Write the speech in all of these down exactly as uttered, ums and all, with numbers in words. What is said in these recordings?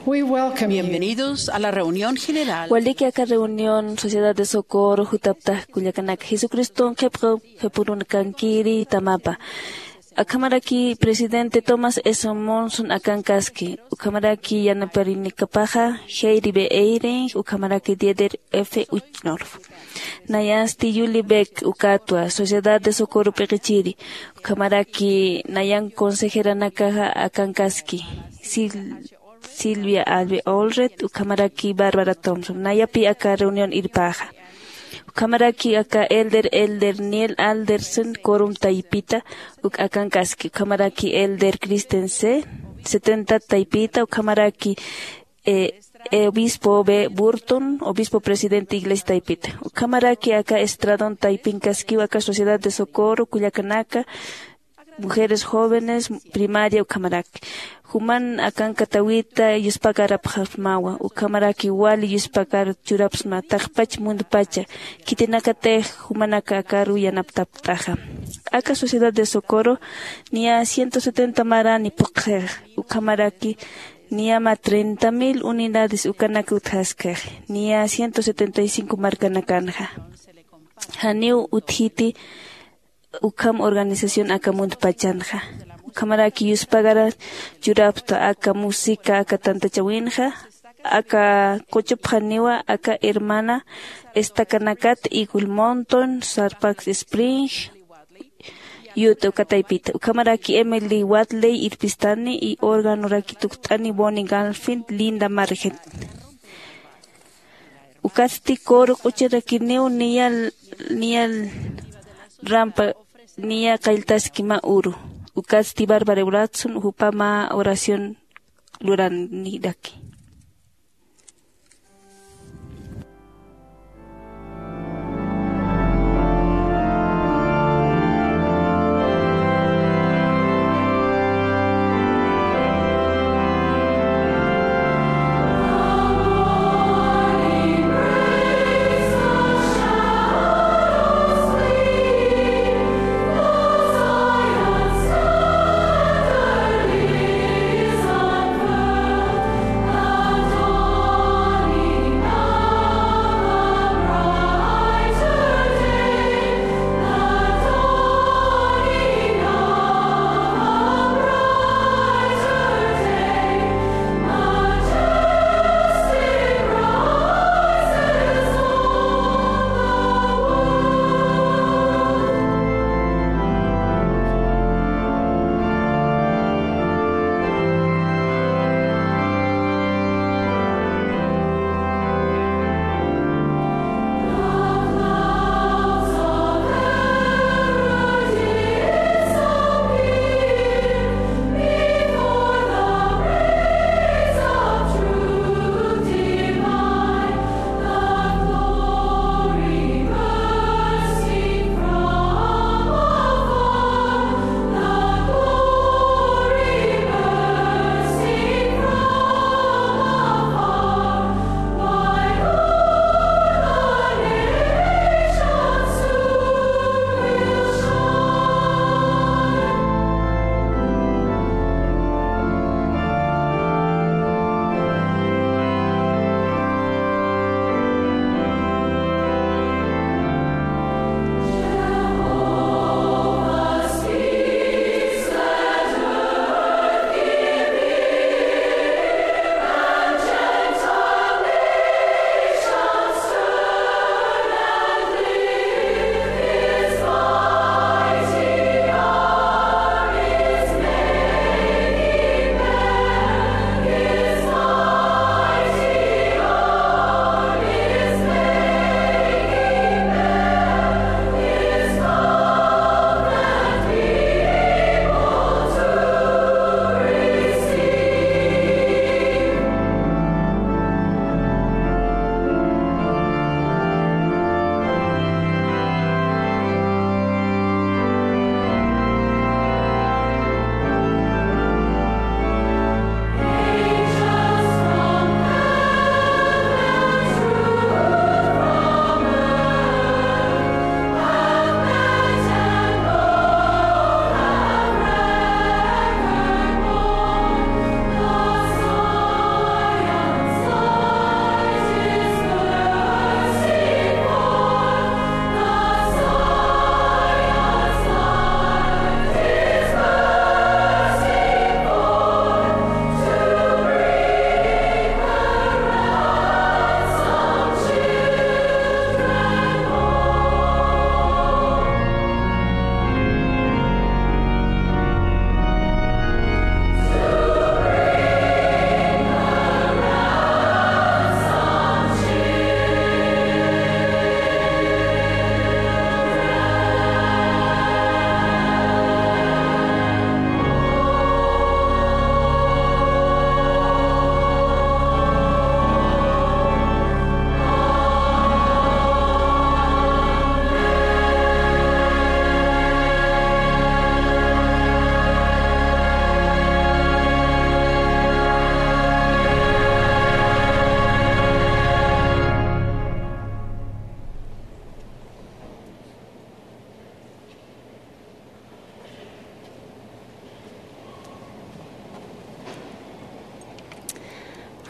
We welcome you. Bienvenidos a la reunión general. Waliki aka reunión Sociedad de Socorro jutaptax kullakanak, Jesucriston qhipqu qhipurunakankiri tamapa. Akhamaraki presidente Thomas S. Monson akankaski, ukhamaraki yanaparinikapaxa Heidi B. Eyring, ukhamaraki Dieter F. Uchtdorf. Nayasti Julie Beck ukatwa, Sociedad de Socorro p'iqichiri, ukhamaraki nayan consejeranakaxa akankaski, Sil- Silvia Albe Olret, ukhamaraki Barbara Thompson, nayapi aka reunión irpaxa. Ukhamaraki aka elder, elder Neil Alderson, quorum taypita, uk akankaski, ukhamaraki elder Christensen, setenta taypita, ukhamaraki, eh, eh, obispo B. Burton, obispo presidente iglesia taypita, ukhamaraki aka Estradón taypinkaskiw aka Sociedad de Socorro, kullakanaka, mujeres jóvenes, primaria, ukhamaraki. Juman akankatawita yuspakarapxasmawa, ukhamaraki wali yuspakar churapsma, taqpach mundupacha, khitinakatix jumanaka akaru yanaptaptaxa. Aka Sociedad de Socorro niya ciento setenta marani phuqxix, ukhamaraki niyama treinta mil unidades ukanak utjaskix, niya ciento setenta y cinco markanakanxa. Janiw utjiti ukham organización aka mundupachankxa. Ukhamaraki yuspagara churapxta aka música, aka tantachawinxa, aka quchupxaniwa aka hermana estacanakat, Eagle Mountain, Sarpax Spring, Utah, uka taypita. Ukhamaraki Emily Wadley irpistani, y organoraki tukt'ani Bonnie Galfin, Linda Marget. Ukatsti coro q'uchirakiniw niyal, niyal rampa, niya qalltaski mä uru. Ukatsti Barbara Bratson, jupama oración luraniraki.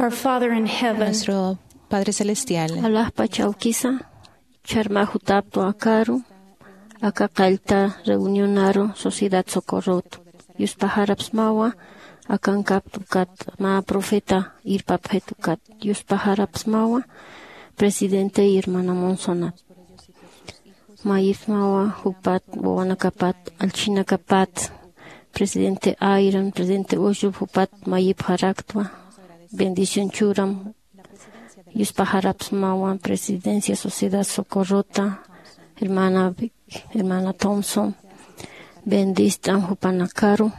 Our Father in heaven. Nuestro Padre Celestial. Alaxpach awkisa, chharma jutaptu akaru, aka qallta reunionaru Sociedad Socorrot. Yuspaxarapsmawa, akankaptu kat, mä profeta irpapxitu kat. Yuspaxarapsmawa, presidente y hermana Monsonat. Mayipsmawa jupat, wawanakapat, allchhinakapat, presidente Ayran, presidente Ushub jupat mayipxaraktwa, bendición churam. Yuspaxarapsmawa presidencia Sociedad Socorrota, hermana Vic, hermana Thompson, bendist'am jupanakaru.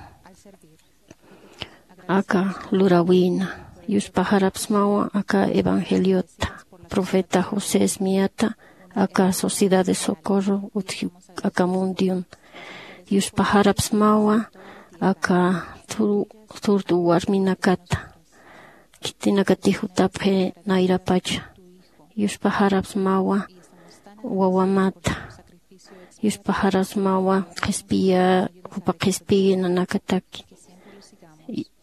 Aka lurawina, yuspaxarapsmawa aka evangeliota, profeta José Smithta, aka Sociedad de Socorro utji aka mundion. Yuspaxarapsmawa aka thurtu warminakata, khitinakatix jutapxi nayrapacha. Yuspaxarapsmawa wawamata. Yuspaxarapsmawa qhispiya, jupa qhispiyi nanakataki.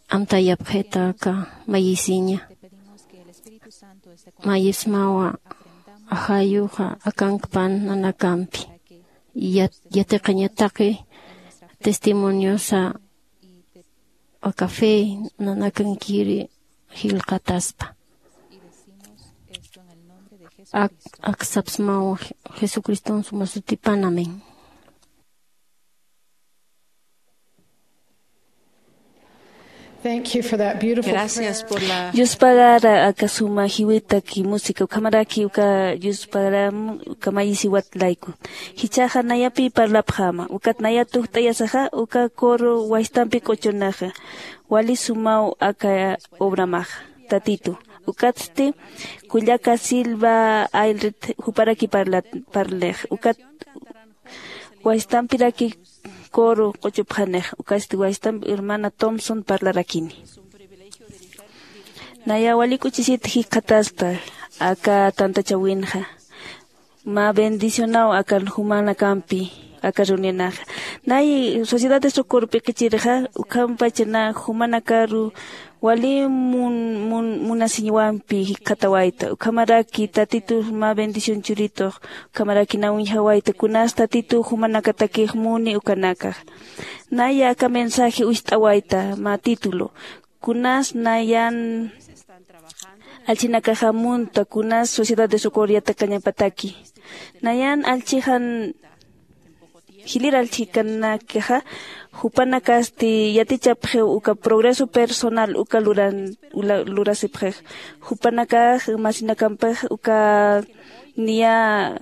Amtayapxita aka mayisiña. Mayismawa ajayuxa akankpan nanakampi. Yat-, yatiqañataki testimoniosa aka fe nanakankiri jilqataspa. Ak-, aksapsmaw Jesucriston suma sutipan. Amén. Thank you for that beautiful Gracias prayer. Por la Yuspagara aka suma jiwitaki música, ukhamaraki uka yuspagaram uka mayisiwat layku. Jichhaxa nayapi parlapxama, ukat naya tukt'ayasaxa, uka coro waystampi k'uchunaxa. Wali sumaw aka obramaxa, Tatitu. Ukatsti kullaka Silva Aylrit juparaki parlat-, parlix. Ukat waystampiraki coro k'uchupxanix. Ukatsti waystampi hermana Thompson parlarakini. Naya wali k'uchisit jikxataspa aka tantachawinxa. Mä bendicionaw akan jumanakampi aka reunionaxa. Nay Sociedad de Socorro p'iqichirxa, ukhampacha na jumanakaru wali mun-, mun-, munasiñwampi jikxatawayta. Ukhamaraki Tatitu mä bendición churitux, ukhamaraki na uñjawayta, kunas Tatitu jumanakatakix muni ukanakax. Naya aka mensaje ucht'awayta, mä título. Kunas nayan allchhinakaxa munta, kunas Sociedad de Socorro yatiqañapataki. Nayan allchhixan, jilïr allchhikanakaxa, jupanakasti yatichapxiw uka progreso personal uka luran-, ula-, lurasipxix. Jupanakax, masinakampix uka niya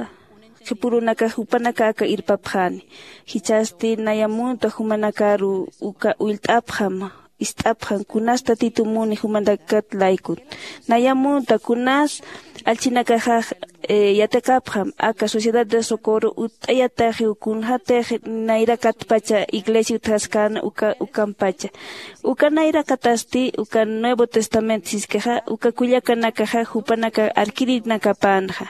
qhipürunakax jupanaka aka irpapxani. Jichhasti naya munta jumanakaru uka ullt'apxam, ist'apxam, kunas Tatitu muni jumanakat laykut. Naya munta kunas allchhinakaxax, eh, yatiqapxam, aka Sociedad de Socorro utt'ayataxiw kunxatix nayrakatpacha iglesia utjaskän uka, ukampacha. Uka nayrakatasti, uka Nuevo Testamento siskixa, uka kullakanakaxa, jupanaka arkirinakapänxa.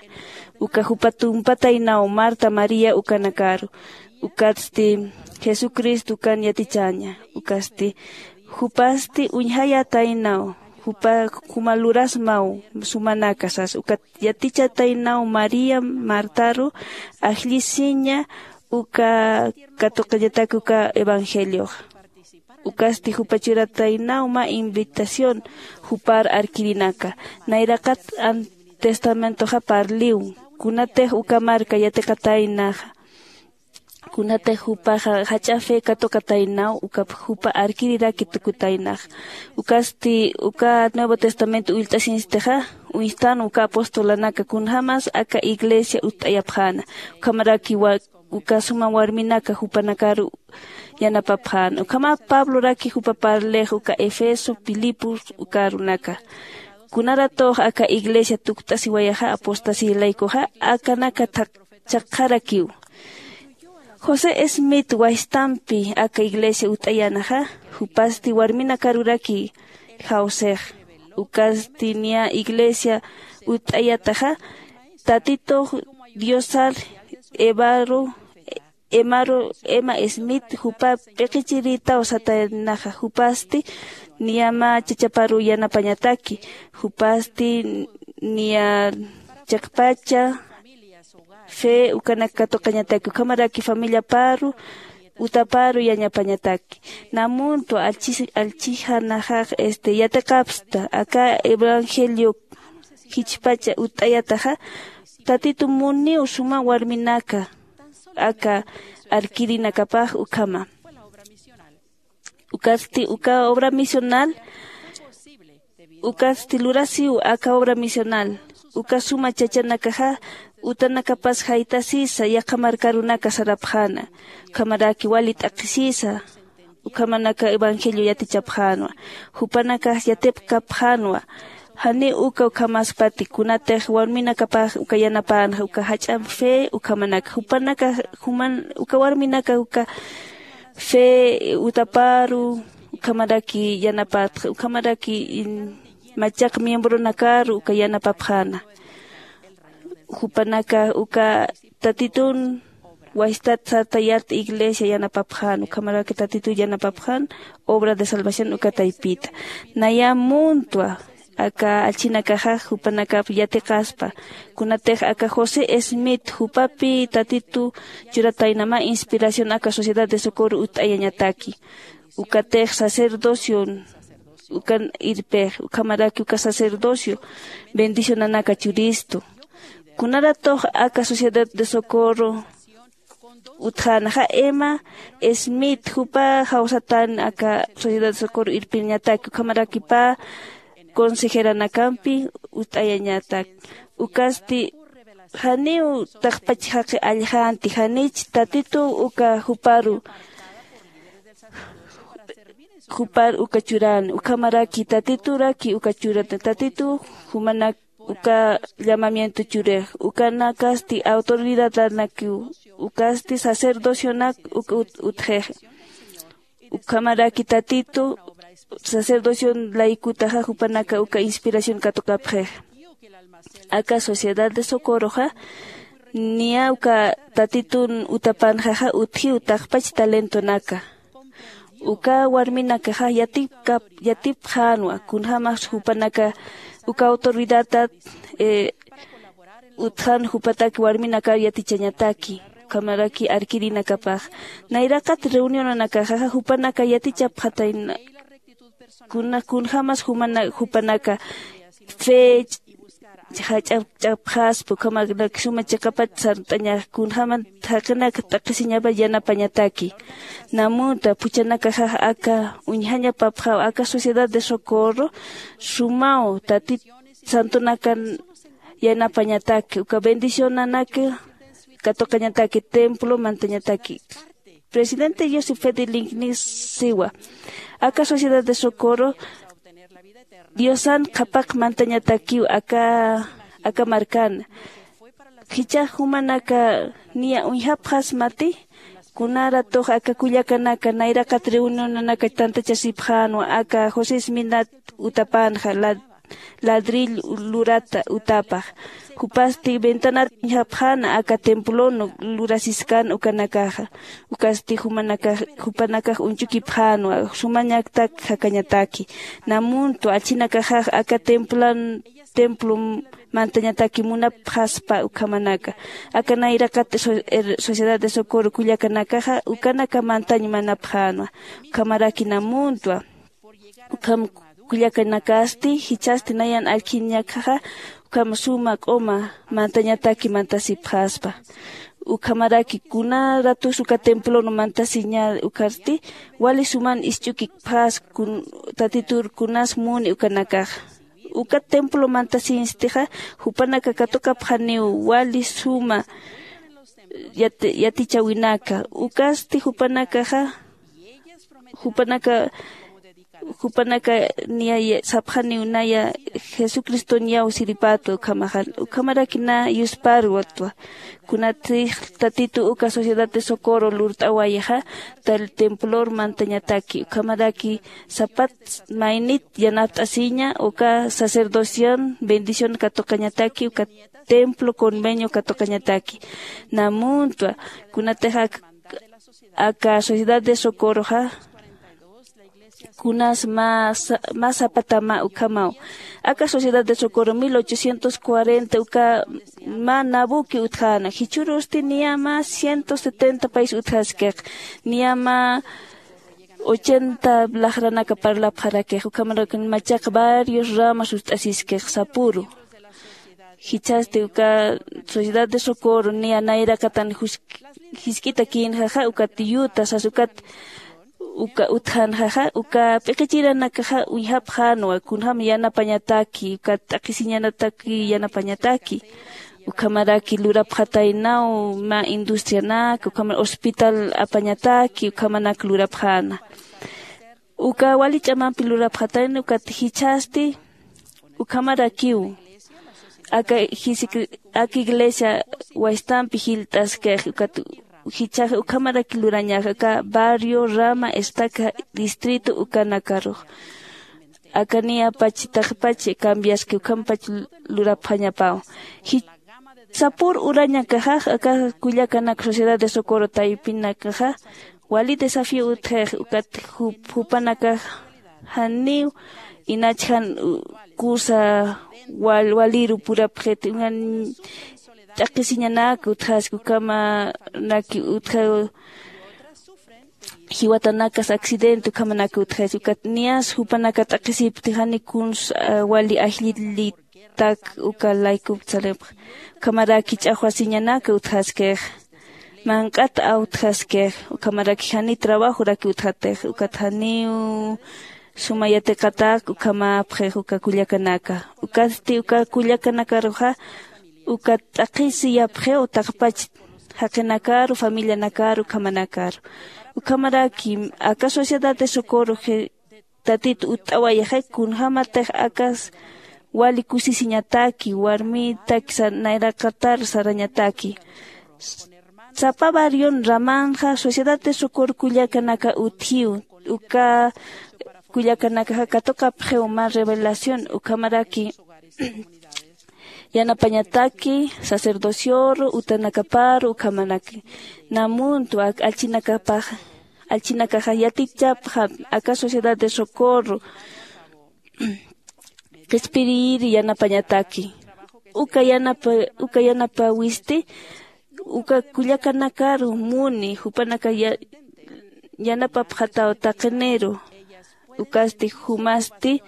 Uka jupa tumpataynaw Marta, María ukanakaru. Ukatsti Jesucristo ukan yatichaña. Ukatsti jupasti uñjayataynaw, jupa juma lurasmaw sumanaka sas. Ukat yatichataynaw María Martaru, ajllisiña uka katuqañatak uka evangeliox. Ukasti jupa churataynaw mä invitación jupar arkirinaka. Nayraqat an-, testamentoxa parliw, kunatix uka marka yatiqataynaxa. Kunatix jupaxa jach'a fe katuqataynaw, uka jupa arkiriraki tukutaynaxa. Ukasti uka Nuevo Testamento ullt'asiñstixa, uñstan uka apostolanaka kunjamas aka iglesia utt'ayapxäna. Ukhamaraki wa-, uka suma warminaka jupanakaru yanapapxäna. Ukhama Pabloraki jupa parlix uka Efeso, Filipos, uka arunaka. Kunaratux aka iglesia tukt'asiwayaxa, apostasía laykuxa, akanaka thak-, chhaqxarakiw. José Smith waystampi aka iglesia utt'ayänaxa, jupasti warminakaruraki jawsix. Ukasti niya iglesia utt'ayataxa, Tatitux Diosar Evaru, Emaru, Emma Smith, jupa p'iqichirïtaw sataynaxa, jupasti niyama chachaparu yanapañataki, jupasti niya chiqpacha fe ukanak katuqañataki ukhamaraki familiaparu utaparu yañapañataki. Namuntu allchis allchijanaxax este yatiqapsta aka evangelio jichpacha ut'ayataxa tatitu muniw suma warminaka aka arkirinakapax ukhama. Ukasti uka obra misional ukasti lurasiw aka obra misional uka suma chachanakaxa utanakapas jaytasisa yaqha markarunaka sarapxäna ukhamaraki wali t'aqhisisa ukhamanaka evangelio yatichapxänwa. Jupanakax yatipkapxänwa janiw uka ukhamaspati kunatix warminakapax uka yanapänxa uka jach'am fe ukhamanaka jupanaka juman uka warminaka uka fe utaparu ukhamaraki yanapatxa ukhamaraki machaq miembronakaru uka yanapapxäna. Jupanaka uka tatitun waystat sarta yat iglesia yanapapxän ukhamaraki tatitu yanapapxän obra de salvación uka taypita. Naya muntwa aka allchinakaxax jupanakap yatiqaspa kunatix aka josé smith jupapi tatitu churataynama inspiración aka sociedad de socorro ut'ayañataki. Ukatix sacerdocion ukan irpix ukhamaraki uka sacerdocio bendicionanaka churistu. Kunaratux aka sociedad de socorro utjänaxa emma smith jupa jawsatan aka sociedad de socorro irpiñataki ukhamarakipa consejeranakampi ut'ayañatak. Ukasti janiw taqpach jaqi alljanti janich tatituw uka juparu jupar uka churan ukhamaraki tatituraki uka churan tatitu jumanak uka llamamiento churix ukanakasti autoridadanakiw ukasti sacerdocionak uka utxix. Ukhamaraki tatitu sacerdocio laykutaxa jupanaka uka inspiración katuqapxix. Aka sociedad de socoroxa niya uka tatitun utapanxaxa utjiw taqpach talentonaka. Uka warminakaxa yatipkap yatipxänwa kunjämas jupanaka uka autoridadat utjan jupatak warminakar yatichañataki ukhamaraki arkirinakapax. Nayraqat reunionanakaxaxa jupanaka yatichapxatayna kunjämas jupanaka fe jach'apxaspa ukhamanak suma chiqapat sart'añax kunjämat jaqinak t'aqhisiñapa yanapañataki. Namunta phuchhanakaxax aka uñjañapapxaw aka sociedad de socorro sumaw tatit santonakan yanapañataki uka bendicionanaka katuqañataki templo mantañataki. Presidente joseph fedelinkni siwa aka sociedad de socorro diosan qhapaq mantañatakiw aka aka markana. Jichhax jumanaka niya uñjapxasmati kunaratux aka kullakanaka nayraqat reunionanaka tantachasipxänwa aka josé sminat utapanxa ladrill lurata utapax. Jupasti ventanar uñjapxäna aka templon lurasiskan ukanakaxa. Ukasti jupanakax uñchukipxänwa sumañatak jakañataki. Namuntu allchinakaxax aka templan templo mantañataki munapxaspa ukhamanaka aka nayraqat sociedad de socorro kullakanakaxa ukanaka mantañ manapxänwa. Ukhamaraki namuntwa ukham kullakanakasti jichhasti nayan allkhiñakaxa ukham suma q'uma mantañataki mantasipxaspa. Ukhamaraki kuna ratus uka templon mantasiña ukharti wali suman isch'ukipxas tatitur kunas muni ukanakaxa. Uka templo mantasiñstixa jupanaka katuqapxaniw wali suma yatichäwinaka ukasti jupanakaxa jupanaka jupanaka niya sapxaniw naya jesucristoñaw siripatwa ukhamaxa. Ukhamaraki na yusparwatwa kunatix tatitu uka sociedad de socorro lurt'awayixa templor mantañataki ukhamaraki sapat maynit yanapt'asiña uka sacerdocion bendición katuqañataki uka templo convenio katuqañataki. Namuntwa kunatix aka sociedad de socorroxa kunas mä sapatama ukhamaw. Aka sociedad de socorro mil ochocientos cuarenta uka mä nabuki utjäna jichhürusti niya mä ciento setenta país utjaskix. Niya mä ochenta laqranaka parlapxarakix ukhamarak machaq varios ramas ut'asiskix sapüru. Jichhasti uka sociedad de socorro niya nayraqatan jisk'ita kïnxaxa ukat yuta sas ukat uka utjänxaxa uka p'iqichiranakaxa uñjapxänwa kunjäm yanapañataki ukat t'aqhisiñanataki yanapañataki. Ukhamaraki lurapxataynaw mä industrianaka ukhamar hospital apañataki ukhamanak lurapxäna. Uka wali ch'amampi lurapxatayna ukat jichhasti ukhamarakiw aka iglesia waystampi jilt'askix ukat jichhax ukhamaraki lurañax aka barrio rama estaca distrito ukanakarux. Aka niyapach taqpach cambiaski ukhampach lurapxañapaw. Sapür urañakaxax aka kullakanak sociedad de socorro taypinakaxa wali desafío utjix ukat jupanakax janiw inach jan kusa waliru purapxit uñan t'aqhisiñanak utjaski ukhamanaki utjaw jiwatanakas accidente ukhamanaka utjaski ukat niyas jupanaka t'aqhisipti jani kuns wali ajllitak uka laykup saripx. Ukhamaraki ch'axwasiñanaka utjaskix manq'at awtjaskix. Ukhamaraki jani trabajoraki utjatix ukat janiw suma yatiqatak ukhamapxix uka kullakanaka. Ukatsti uka kullakanakaruxa uka t'aqhisiyapxiw taqpach jaqinakaru familianakaru ukhamanakaru. Ukhamaraki aka sociedad de socorro tatitu utt'awayaxi kunjämatix akas wali kusisiñataki warmitak nayraqatar sarañataki. Sapa barrion ramanxa sociedad de socorro kullakanaka utjiw. Uka kullakanakaxa katuqapxiw mä revelación ukhamaraki yanapañataki sacerdocioru utanakaparu ukhamanaki. Namuntu ak allchinakapax allchinakaxa yatichapxam aka sociedad de socorro qhispiyiri yanapañataki. Uka yanapa uka yanapawisti uka kullakanakaru muni jupanaka yanapapxataw taqiniru. Ukasti jumasti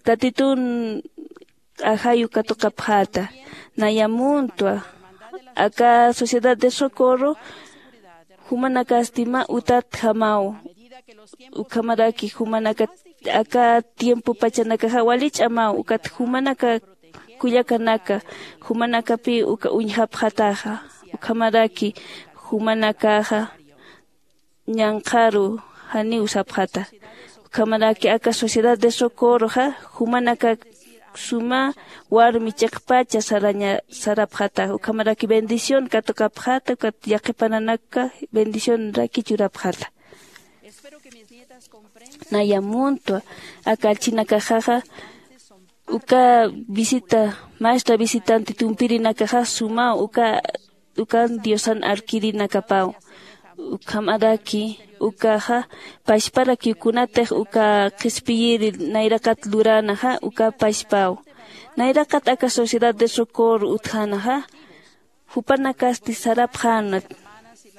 tatitun ajayu katuqapxäta. Naya muntwa aka sociedad de socorro jumanakasti mä utatjamaw. Ukhamaraki jumanaka aka tiempo pachanakaxa wali ch'amaw ukat jumanaka kullakanaka jumanakapi uka uñjapxataxa. Ukhamaraki jumanakaxa ñanqharu janiw sapxata. Ukhamaraki aka sociedad de socorroxa jumanaka suma warmi chiqpacha saraña sarapxata. Ukhamaraki bendición katuqapxata ukat yaqhipananaka bendicionraki churapxata. Naya muntwa aka allchinakaxaxa uka visita maestra visitante tumpirinakaxa sumaw uka ukan diosan arkirinakapaw. Ukhamaraki ukaxa pachparakiw kunatix uka qhispiyiri nayraqat luränaxa uka pachpaw. Nayraqat aka sociedad de socorro utjänaxa jupanakasti sarapxäna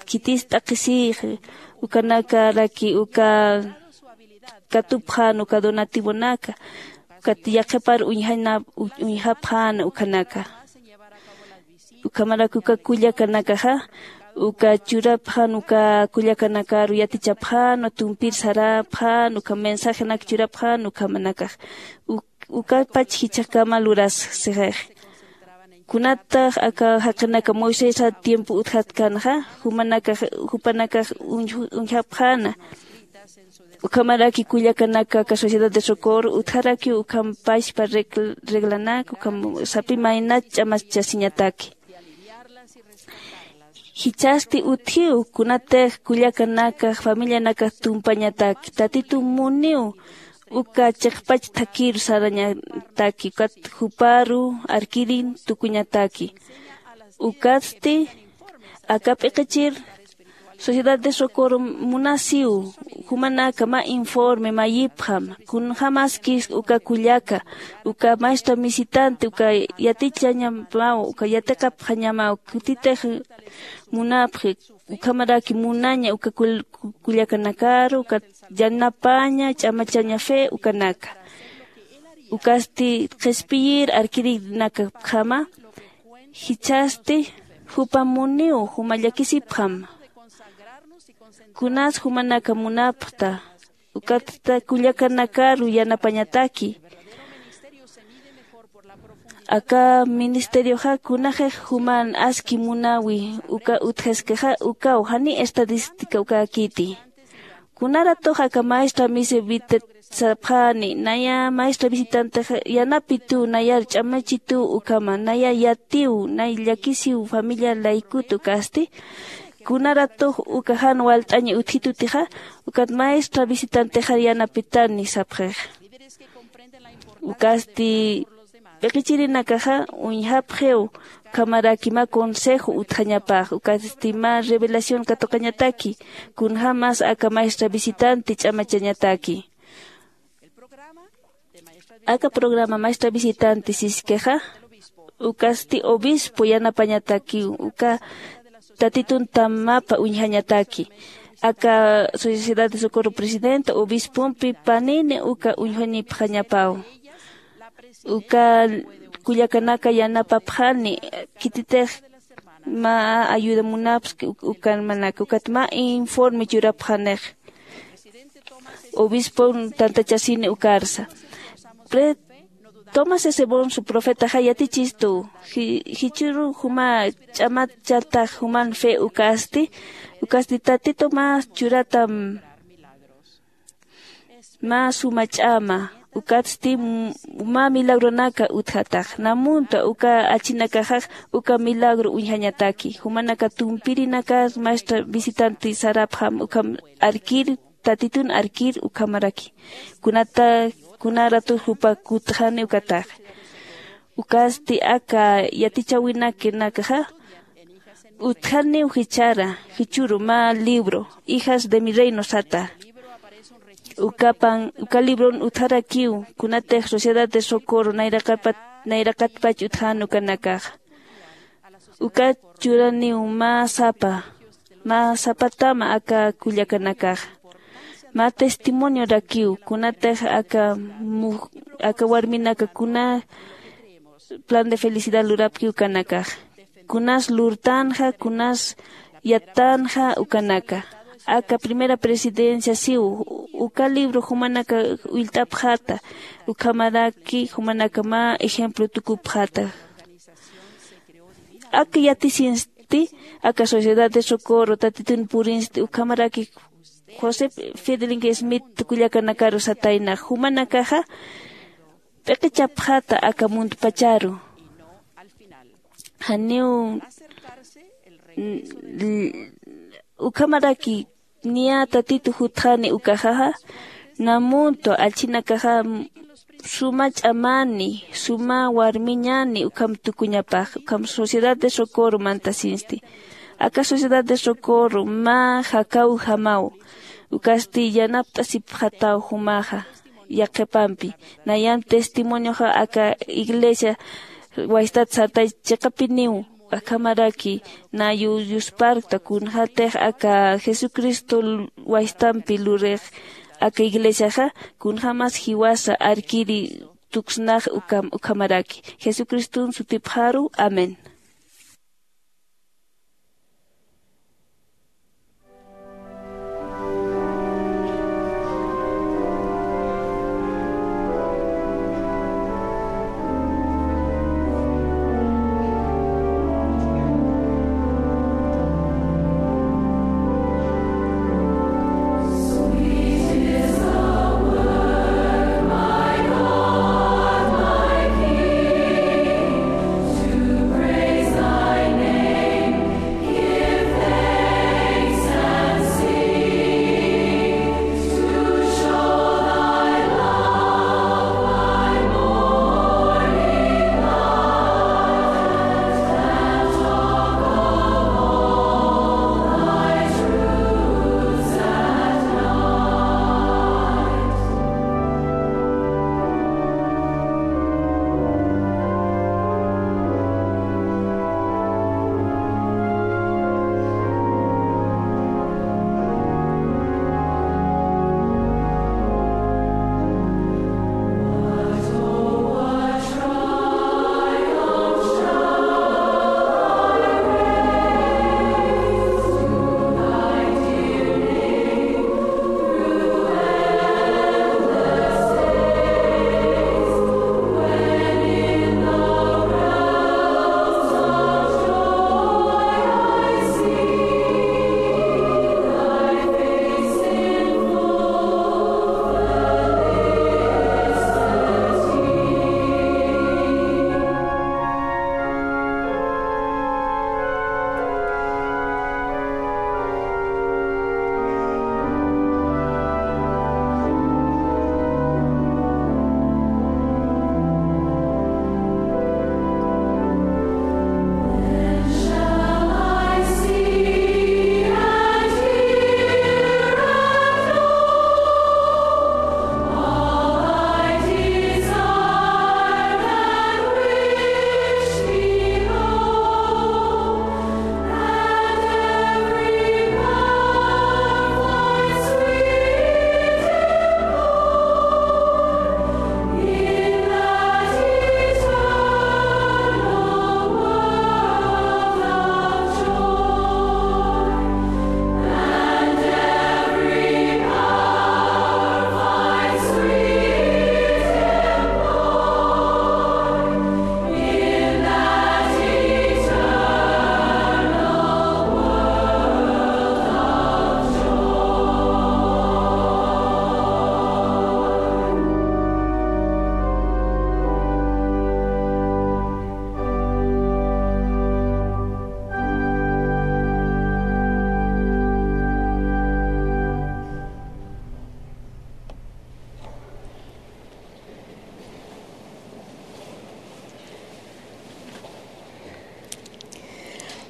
khitis t'aqhisïxi ukanakaraki uka katupxän uka donativonaka ukat yaqhipar uñjapxäna ukhanaka. Ukhamaraki uka kullakanakaxa uka churapxän uka kullakanakaru yatichapxänwa tumpir sarapxän uka mensajenak churapxän ukhamanakax. Ukapach jichhakama luras sixix. Kunatax aka jaqinaka moisesa tiempo utjatkänxa jumanakax jupanakax uñjapxäna. Ukhamaraki kullakanaka aka sociedad de socorro utjarakiw ukham pachpa reglanak ukham sapi maynat ch'amachasiñataki. Jichhasti utjiw kunatix kullakanakax familianakax tumpañataki tatitu muniw uka chiqpach thakhiru sarañataki ukat juparu arkirin tukuñataki. Ukatsti aka p'iqichir Sociedad de Socorro munasiw, jumanaka mä informe mayipxam, kunjämaskis uka kullaka, uka maestra visitante, uka yatichañamaw, uka yatiqapxañamaw, kutitix munapxi, ukhamaraki munaña uka kull-, kullakanakaru, uka yanapaña, ch'amachaña fe ukanaka. Ukasti qhispiyir arkirinakapjama, jichhasti jupa muniw juma llakisipjam. Kunas jumanaka munapxta, ukatta kullakanakaru yanapañataki. Aka ministerioxa kunaxix juman aski munawi uka utjaskaxa ukaw jani estadística ukäkiti. Kunaratux aka maestra misi visitapxani, naya maestra visitantex yanapituw, nayar ch'amachituw ukhama, naya yatiw, nay llakisiw familia laykut ukasti. Kunaratux uka jan walt'aña utjitutixa, ukat maestra visitantexar yanapitani sapxix. Ukasti p'iqichirinakaxa uñjapxiw, ukhamaraki mä consejo utjañapax, ukasti mä revelación katuqañataki, kunjämas aka maestra visitante ch'amachañataki. Aka programa maestra visitante siskixa, ukasti obispo yanapañatakiw, uka Tatitun tamapa uñjañataki. Aka Sociedad de Socorro presidente, obispompi panini uka uñjañipxañapaw. Uka kullakanaka yanapapxani, khititix mä ayuda munapxi, uk-, ukan manaka, ukat mä informe churapxanix. Obispon tantachasini ukarsa. Pre-, Tomás S. Monson profetaxa yatichistu, ji-, jichhüru juma ch'amachatax juman fe ukasti, ukasti Tatitu mä churatam, mä suma ch'ama, ukatsti m-, mä milagronaka utjatax. Namunta uka achinakaxax uka milagro uñjañataki. Jumanaka tumpirinaka maestra visitante sarapxam, ukham arkir, Tatitun arkir ukhamaraki. Kunata, kunaratu jupa kutxani ukatax. Ukasti aka yatichäwinakinakaxa utjaniw jichhara, jichhüru mä libro, Hijas de mi Reino sata. Ukapan, uka libron utjarakiw, kunatix Sociedad de Socorro nayraqapat, nayraqatpach utjän ukanakaxa. Uka churaniw mä sapa, mä sapatama aka kullakanakaxa. Mä testimoniorakiw, kunatix aka mu-, aka warminaka kuna plan de felicidad lurapki ukanakax. Kunas lurtänxa, kunas yattänxa ukanaka. Aka primera presidencia siw, uka libro jumanaka ullt'apxata, ukhamaraki jumanaka mä ejemplo tukupxata. Aka yatisinsti, aka Sociedad de Socorro Tatitun purinsti, ukhamaraki José Fielding Smith kullakanakaru satayna, jumanakaxa p'iqichapxata aka muntpacharu. Janiw, n-, l-, ukhamaraki niya Tatitu jutxani ukaxaxa, namuntu achinakaxa suma ch'amani, suma warmiñani ukham tukuñapax, ukham Sociedad de Socorro mantasinsti. Aka Sociedad de Socorro mä jakawjamaw, ukasti yanapt'asipxataw jumaxa yaqhipampi. Nayan testimonioxa aka iglesia waystat sartay chiqapiniw, akhamaraki nayu yusparkta kunxatix aka Jesucristo waystampi lurix aka iglesiaxa, kunjämas jiwasa arkiri tuksnax ukam-, ukhamaraki. Jesucriston sutipxaru. Amén.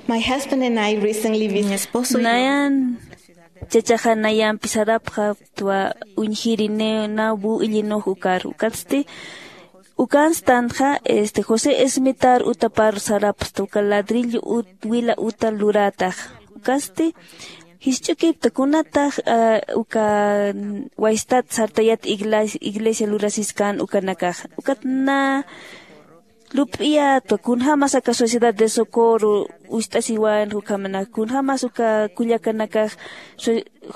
My husband and I recently visited. Nayan chachaxa nayampi sarapxaptwa uñjiri nabu illinux ukar ukatsti ukanstanxa este josé esmitar utapar sarapsta uka ladrillo wila uta luratax. Ukatsti jisch'ukipta kunatax uka waystat sartayat iglesia lurasiskan ukanakaxa ukat na lup'iyatwa kunjämas aka sociedad de socorro ucht'asiwän ukhamanak kunjämas uka kullakanakax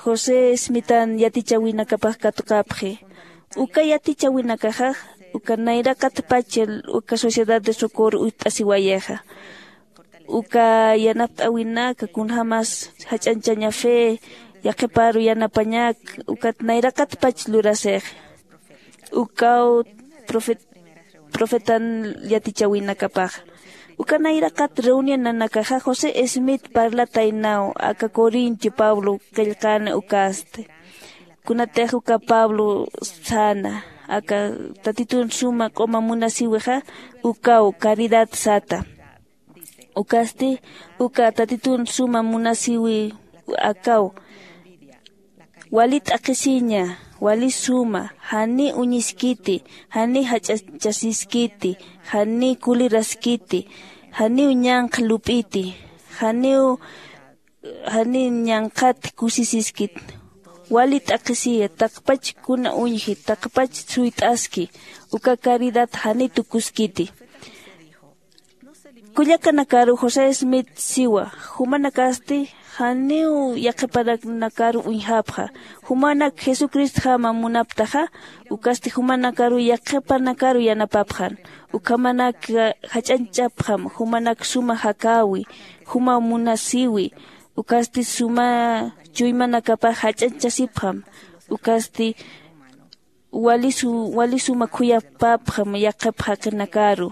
josé smitan yatichäwinakapax katuqapxi. Uka yatichäwinakaxax uka nayraqatpach uka sociedad de socorro ucht'asiwayixa uka yanapt'äwinaka kunjämas jach'añchaña fe yaqhiparu yanapañak ukat nayraqatpach lurasix. Ukaw profetan yatichäwinakapaxa uka nayraqat reunionanakaxa josé smith parlataynaw aka corintio pablo qillqäna ukasti. Kunatix uka pablo säna aka tatitun suma q'uma munasïwixa ukaw caridad sata. Ukasti uka tatitun suma munasïwi akaw wali t'aqhisiña wali suma janiy uñiskiti janiy jach'achasiskiti janiy kuliraskiti janiw ñanqha lup'iti janiw janiy ñanqhat kusisiskit. Wali t'aqhisiya taqpach kuna uñji taqpach suyt'aski uka caridad janiy tukuskiti. Kullakanakaru josé smith siwa jumanakasti janiw yaqhipanakaru uñjapxa jumanak jesucristjama munaptaxa. Ukasti jumanakaru yaqhipanakaru yanapapxan ukhamanak jach'añchapxam jumanak suma jakäwi juma munasïwi ukasti suma chuymanakapax jach'añchasipxam. Ukasti wali suma khuyapapxam yaqhip jaqinakaru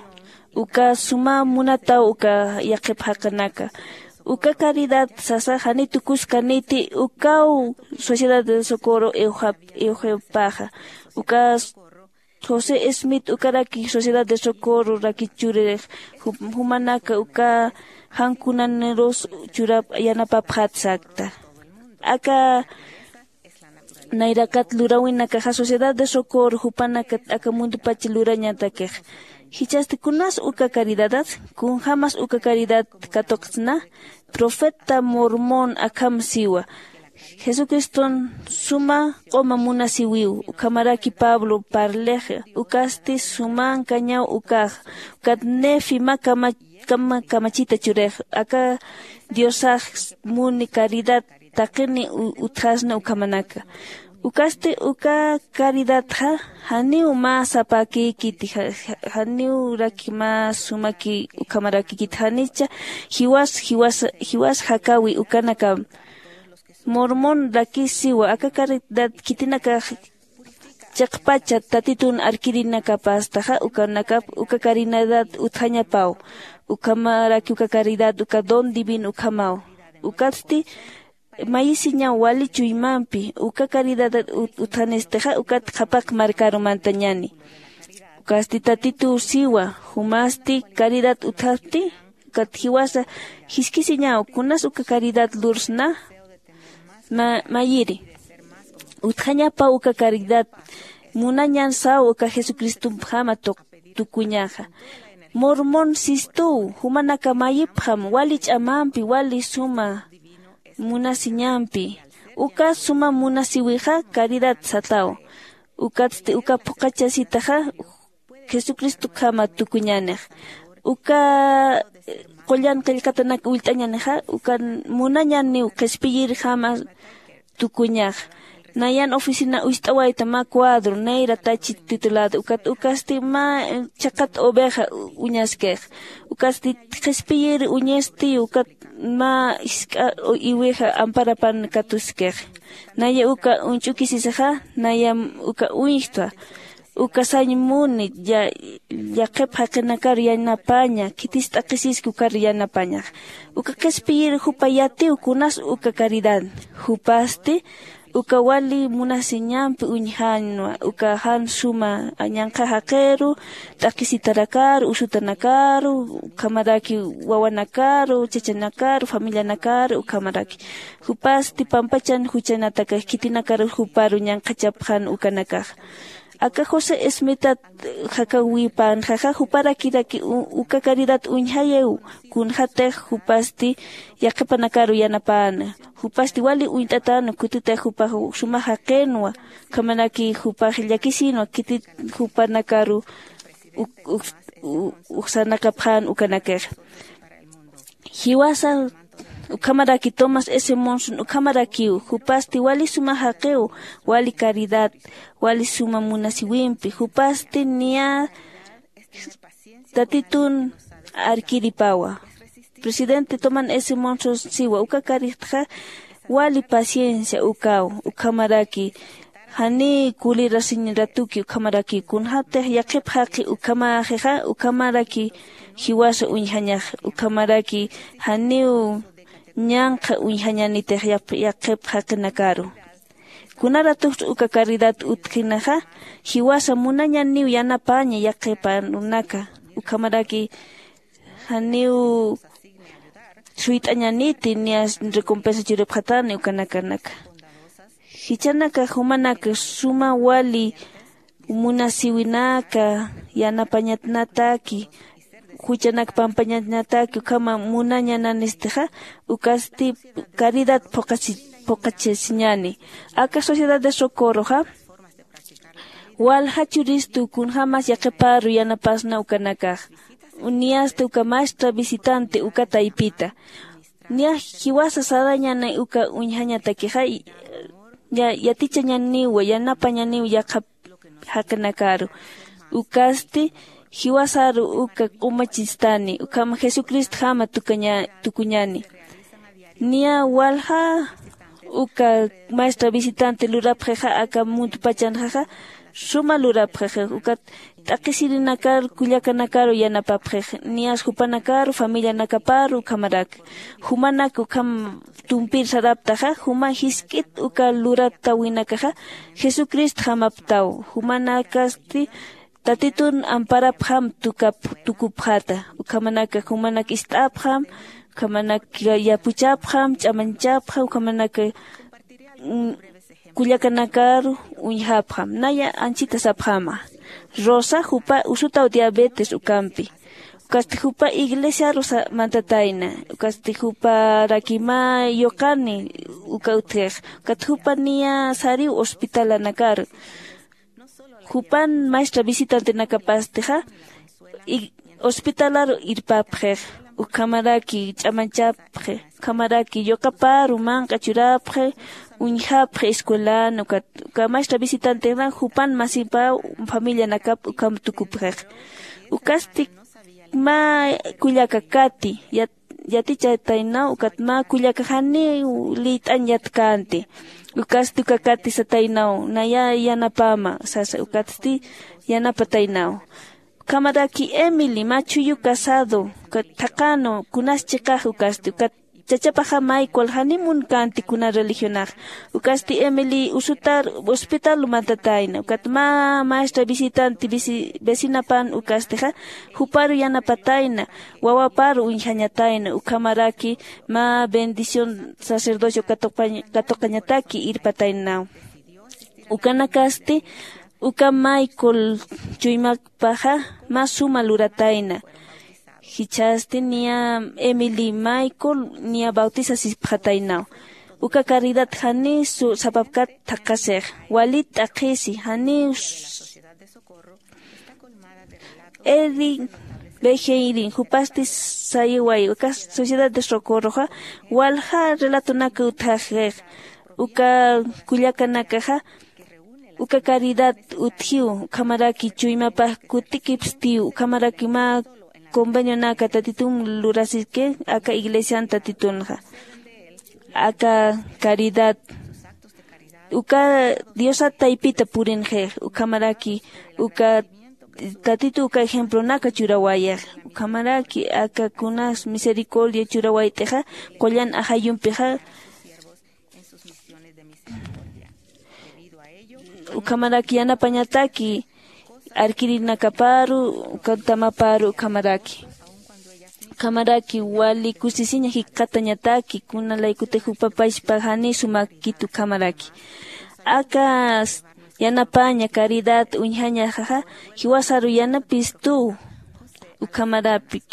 uka suma munataw uka yaqhip jaqinaka. Uka caridad sasa janiy tukuskaniti ukaw sociedad de socorro iwjipaxa uka josé smith ukaraki sociedad de socorro rakich churix jumanaka uka jankunanirus churap yanapapxat sakta. Aka nayraqat luräwinakaxa sociedad de socorro jupanakat aka mundupach lurañatakix. Jichhasti kunas uka caridadat kunjämas uka caridad katuqtsna? Profeta mormón akham siwa jesucriston suma q'uma munasïwiw ukhamaraki pablo parlix ukasti sumankañaw ukax ukat nefi mä kamachita churix aka diosax muni caridad taqini utjasna ukhamanaka. Ukasti uka caridadxa janiw mä sapäkïkiti janiwraki mä sumaki ukhamarakïkiti janicha jiwas jiwas jakäwi ukanakam. Mormón rakisiwa aka caridad khitinakax chiqpacha tatitun arkirinakapastaxa ukanakap uka caridad utjañapaw. Ukhamaraki uka caridad uka don divino ukhamaw. Ukatsti mayisiñaw wali chuymampi uka caridad utjanistixa ukat qhapaq markaru mantañäni. Ukasti tatituw siwa jumasti caridad utjapti ukat jiwasa jiskisiñaw kunas uka caridad lursna? Mayiri utjañapaw uka caridad munañan saw uka jesucristumpjama tukuñaxa. Mormón sistuw jumanaka mayipxam wali ch'amampi wali suma munasiñampi uka suma munasïwixa caridad sataw. Ukatsti uka phuqhachasitaxa jesucristokjama tukuñänix uka qullan qillqatanak ullt'añänixa uka munañaniw qhispiyirjama tukuñax. Nayan oficina ucht'awayta mä cuadro nayra tachi titulado ukat ukasti mä chhaqat oveja uñaskix. Ukasti qhispiyir uñisti ukat mä jisk'a iwija amparapan katuskix. Naya uka uñch'ukisisixa nayam uka uñjtwa uka sañ muni yaqhip jaqinakar yanapaña khitis t'aqhisiski ukar yanapañax. Uka qhispiyir jupa yatiw kunas uka caridad jupasti uka wali munasiñampi uñjanwa uka jan suma ñanqha jaqiru t'aqhisitanakaru usutanakaru ukhamaraki wawanakaru chachanakaru familianakaru ukhamaraki jupasti pampachan juchanatakax khitinakarus juparu ñanqhachapxan ukanakaxa. Aka josé esmitat jakawipanxaxa juparakiraki uka caridad uñjayiw kunxatix jupasti yaqhipanakaru yanapäna jupasti wali uñt'atäna kutitix jupax suma jaqinwa ukhamaraki jupax llakisïnwa khitit jupanakaru uksanakapxän ukanakixa. Jiwasa ukhamaraki tomás s monson ukhamarakiw jupasti wali suma jaqiw wali caridad wali suma munasiwimpi jupasti niya tatitun arkiripawa. Presidente tomás s monson siwa uka karixtxa wali paciencia ukaw ukhamaraki janiw kulirasiñ ratuki ukhamaraki kunxatix yaqhip jaqi ukhamaxixa ukhamaraki jiwasa uñjañax ukhamaraki janiw ñanqha uñjañanitix yaqhip jaqinakaru. Kuna ratuxt'u uka caridad utjinaxa jiwasa munañaniw yanapaña yaqhipanaka ukhamaraki janiw suyt'añaniti niya recompensa churipxatani ukanakanaka. Jichanaka jumanaka suma wali munasiwinaka yanapañatnataki juchanak pampañatnataki ukhama munañananistixa ukasti caridad phuqachasiñani. Aka sociedad de socorroxa walja churistu kunjämas yaqhiparu yanapasna ukanakax. Niyasti uka maestra visitante uka taypita niya jiwasa sarañanay uka uñjañatakixa yatichañaniwa yanapañaniw yaqhap jaqinakaru. Ukasti jiwasaru uka q'umachistani ukham jesucristjama tukuñani. Niya walja uka maestra visitante lurapxixa aka muntpachanxaxa suma lurapxixix ukat t'aqhisirinakar kullakanakaru yanapapxix niyas jupanakaru familianakaparu ukhamarak jumanak ukham tumpir saraptaxa juma jisk'it uka luratawinakaxa jesucristjamaptaw. Jumanakasti tatitun amparapxam tukap tukupxata ukhamanaka jumanak ist'apxam ukhamanak yapuchapxam ch'amañchapxam ukhamanaka kullakanakaru uñjapxam naya anchita sapxama. Rosa jupa usutaw diabetes ukampi ukasti jupa iglesiaru mantatayna ukasti juparaki mä yuqani uka utjix ukat jupa niya sariw hospitalanakaru jupan maestra visitantenakapastixa hospitalaru irpapxix ukhamaraki ch'amañchapxi ukhamaraki yuqaparu manq'a churapxi uñjapxi escuelan ukat uka maestra visitantexa jupan masipaw familianakap ukham tukupxix. Ukasti mä kullaka kati yatichataynaw ukat mä kullaka janiw liyt'añ yatkänti ukasti uka kati sataynaw naya yanapama sasa ukatsti yanapataynaw. Ukhamaraki emily mä chhuyu casado ukat thaqhanu kunas chiqax ukasti ukat chachapaxa michael janiw munkänti kuna religionax ukasti emily usutar hospital mantatayna ukat mä maestra visitante vecinapan ukastixa juparu yanapatayna wawaparu uñjañatayna ukhamaraki mä bendición sacerdocio katuqañataki irpataynaw. Ukanakasti uka michael chuymakpaxa mä suma luratayna. Jichhasti niya emily michael niya bautisasipxataynaw. Uka caridad janiw sapapkat thaqhasix walit t'aqhisi janiw eri bejeirin jupasti sayiway uka sociedad de socorroxa walja relatonaka utjaxix uka kullakanakaxa uka caridad utjiw ukhamaraki chuymapax kutikipstiw ukhamaraki mä convenionaka tatitun lurasiki aka iglesian tatitunxa aka caridad uka diosat taypita purinxix ukhamaraki uka tatitu uka ejemplonaka churawayix ukhamaraki aka kunas misericordia churawayt'ixa qullan ajayumpixa Ukhamaraki yanapañataki arkirinakaparu, uka tamaparu ukhamaraki. Ukhamaraki wali kusisiña jikxatañataki kunalaykutix jupapachpa jani sumakit ukhamaraki. Aka yanapaña caridad uñjañaxaxa jiwasaru yanapistuw. Ukhamarapik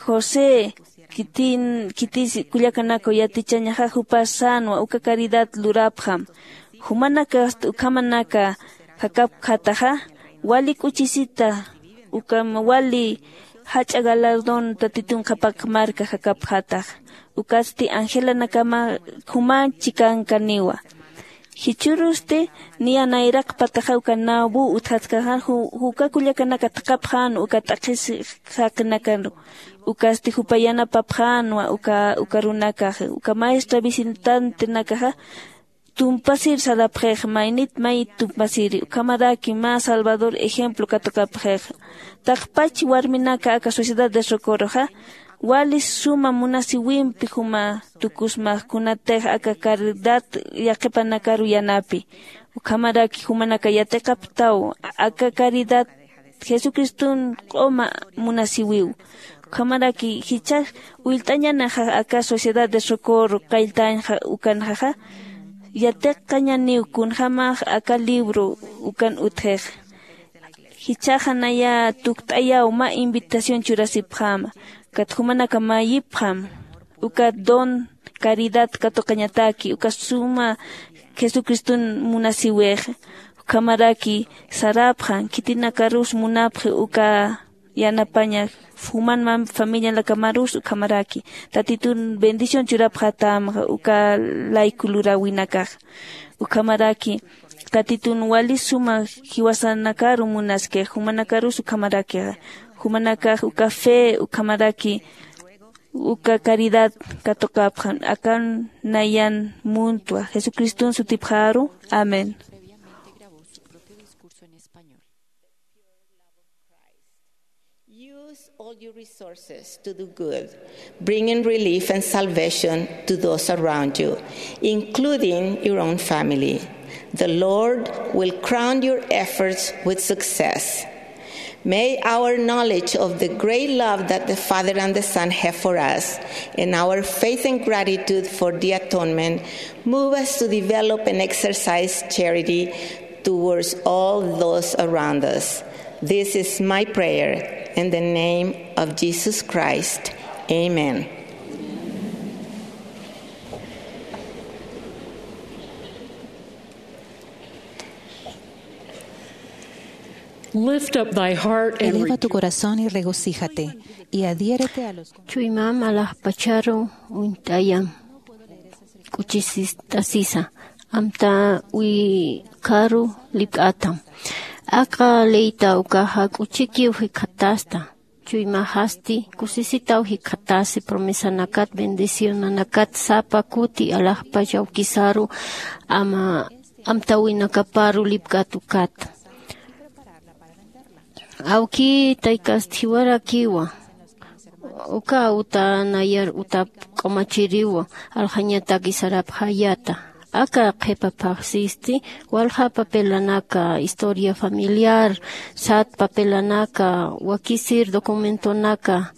josé khitin khitis kullakanakaw yatichañaxa jupas sänwa uka caridad lurapxam. Jumanakasti ukhamanaka jakapjataxa wali k'uchisita ukham wali jach'a galardón tatitun qhapaq marka jakapjatax. Ukatsti angelanakama juman chikankaniwa. Jichhürusti niya nayraqpataxa uka nabu utjaskaxa juka kullakanaka thaqhapxän uka t'aqhis jaqinakaru. Ukasti jupa yanapapxänwa uka runakaxa uka maestra visitantenakaxa tumpasir sarapxix maynit mayit tumpasiri ukhamaraki mä salvador ejemplo katuqapxix. Taqpach warminaka aka sociedad de socorroxa wali suma munasiwimpi juma tukusmax kunatix aka caridad yaqhipanakaru yanapi. Ukhamaraki jumanaka yatiqaptaw aka caridad jesucriston q'uma munasiwiw. Ukhamaraki jichhax willt'añanaxa aka sociedad de socorro qalltañxa ukanxaxa yatiqañaniw kunjämax aka libro ukan utjix. Jichhaxa naya tukt'ayaw mä invitación churasipxäma. Ukat jumanaka mayipxam uka don caridad katuqañataki uka suma jesucriston munasiwix. Ukhamaraki sarapxan khitinakarus munapxi uka yanapaña juman familianakamarus ukhamaraki tatitun bendición churapxatämxa uka layku luräwinakaxa. Ukhamaraki tatitun wali suma jiwasanakaru munaskix jumanakarus ukhamarakixa. Jumanakax uka fe ukhamaraki uka caridad katuqapxan akan nayan muntwa jesucriston sutipxaru. Amén. Use all your resources to do good, bringing relief and salvation to those around you, including your own family. The Lord will crown your efforts with success. May our knowledge of the great love that the Father and the Son have for us and our faith and gratitude for the atonement move us to develop and exercise charity towards all those around us. This is my prayer in the name of Jesus Christ. Amen. Lift up thy heart and Eleva tu rejoice. Corazón y regocíjate, y adhiérete a los Chuymam alaxpacharu uñt'ayam k'uchisit'asisa amta uykharu lipk'atam. Aka leyta ukaxa k'uchikiw jikxatasta. Chuymaxasti kusisitaw jikxatasi promesanakat bendicionanakat sapa kuti alaxpach awkisaru ama amtawinakaparu lipk'at ukat. Awki taykast jiwarakiwa uka uta nayar utap k'umachiriwa aljañataki sarapxayata. Aka qhipaphaxsisti walja papelanaka historia familiar sat papelanaka wakisir documentonaka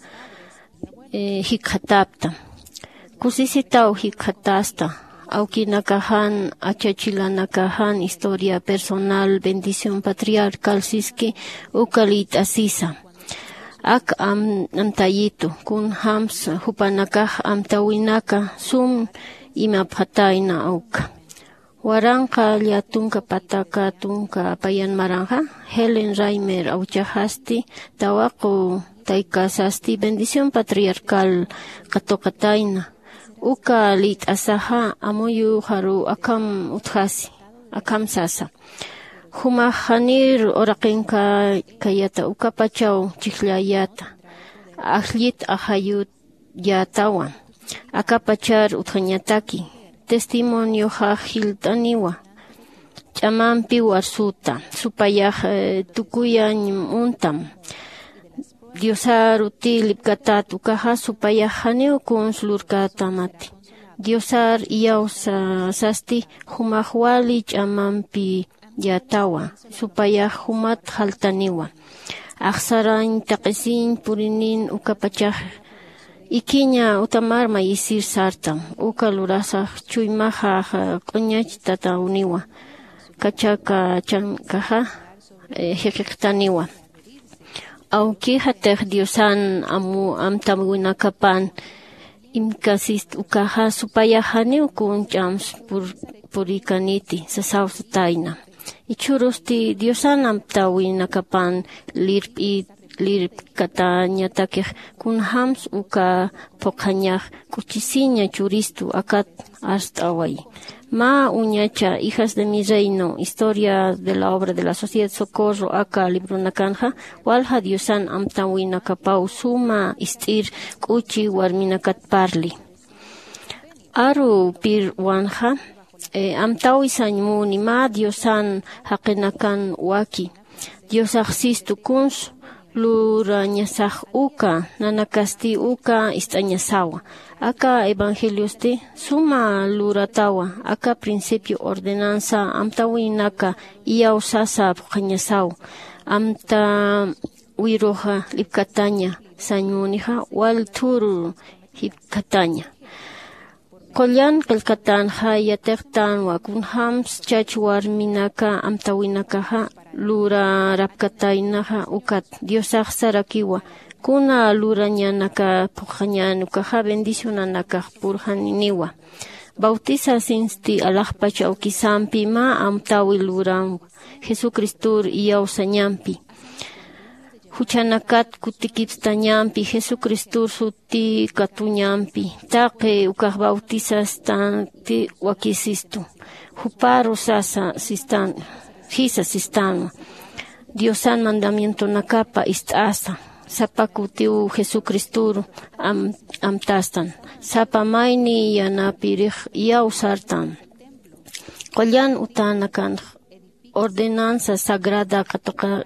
jikxatapta. Kusisitaw jikxatasta awkinakaxan achachilanakaxan historia personal bendición patriarcal siski uka liyt'asisa. Ak amtayitu kunjämsa jupanakax amtawinaka sum imapxatayna awka. Waranqa llatunka pataka tunka apayan maranxa helen raymer awchaxasti tawaqu taykasasti bendición patriarcal katuqatayna. Uka liyt'asaxa amuyuxaru akham utjasi akham sasa. Jumax janir uraqinkayata ukapachaw chijllayata ajllit ajayut yätawan akapachar utjañataki testimonioxax jilt'aniwa. Ch'amampiw arsuta supayax tukuyañ muntam. Diosaruti lipkatat ukaxa supayax janiw kuns lurkätamati. Diosar iyawsasasti jumax wali ch'amampi yätawa, supayax jumat jaltaniwa. Axsarañ taqisiñ purinin ukapachax ikiña utamar mayisir sartam. Uka lurasax chuymaxax q'uñachtatawniwa, kachakachankaxa jiqiqtaniwa. Awkixatix diosan amtäwinakapan imkasist ukaxa supayax janiw kun ch'ams purikaniti sasawsatayna. Ichhürusti diosan amtäwinakapan lirp'it lirpkatañatakix kunjämsa uka phuqhañax k'uchisiña churistu akat arst'awayi. Mä uñacha hijas de mi reino historia de la obra de la sociedad socorro aka libronakanxa walja diosan amtäwinakapaw suma ist'ir k'uchi warminakat parli. Aru pirwanxa amtäwisañ muni mä diosan jaqinakan waki diosax sistu kuns lurañasax uka nanakasti uka ist'añasawa. Aka evangeliosti suma luratawa aka principio ordenansa amtäwinaka iyawsasa phuqhañasaw. Amtäwiruxa lipkataña sañ munixa wal thuru jipkataña. Qullan qillqatänxa yatiqtänwa kunjämsa chach warminaka amtäwinakaxa lurarapkataynaxa ukat diosax sarakiwa kuna lurañanaka phuqhañän ukaxa bendicionanakax purjaniniwa. Bautisasinsti alaxpach awkisampi mä amtäwi luranwa jesucristor iyawsañampi juchanakat kutikipstañampi jesucristor suti katuñampi taqi ukax bautisastati wakisistu juparu sasa sistan jisa sistanwa. Diosan mandamientonakapa ist'asa sapa kutiw jesucristoru amtastan sapa mayni yanapirix iyawsartan. Qullan utänakanx ordenanza sagrada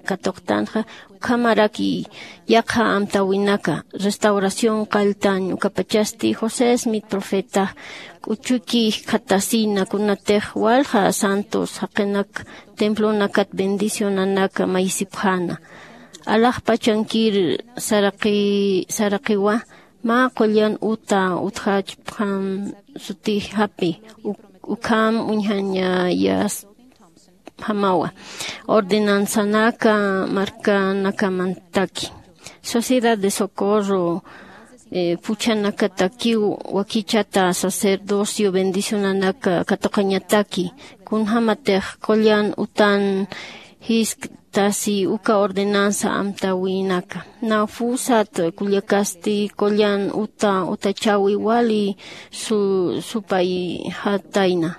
katuqtanxa ukhamaraki yaqha amtäwinaka restauración qalltañ ukapachasti josé smith profetax k'uchuki jikxatasina kunatix walja santos jaqinak templonakat bendicionanaka mayisipxäna. Alaxpachankir saraqiwa mä qullan uta utjachpxam sutixapi ukham uñjañayasjamawa ordenanzanaka markanakamantaki sociedad de socorro phuchhanakatakiw wakichata sacerdocio bendicionanaka katuqañataki kunjämatix qullan utan jisktasi uka ordenanza amtäwinaka. Nawpusat kullakasti qullan uta utachäwi wali supayjatayna.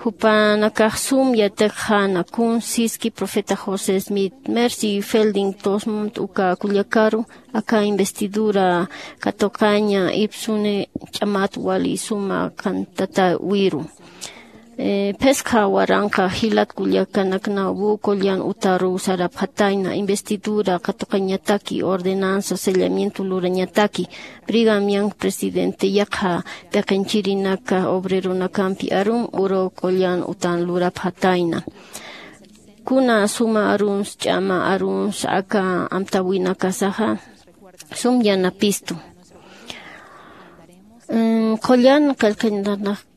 Jupanakax sum yatiqxäna kun siski profeta josé smith mercy felding tosmont uka kullakaru aka investidura katuqaña ipsuni ch'amat wali suma kantatawiru. Phiskha waranqa jilat kullakanaknaw qullan utaruw sarapxatayna investidura katuqañataki ordenanza sellamiento lurañataki brigamian presidente yaqha piqinchirinaka obreronakampi arum uru qullan utan lurapxatayna. Kuna suma aruns ch'ama aruns aka amtäwinakasaxa sum yanapistu. Qullan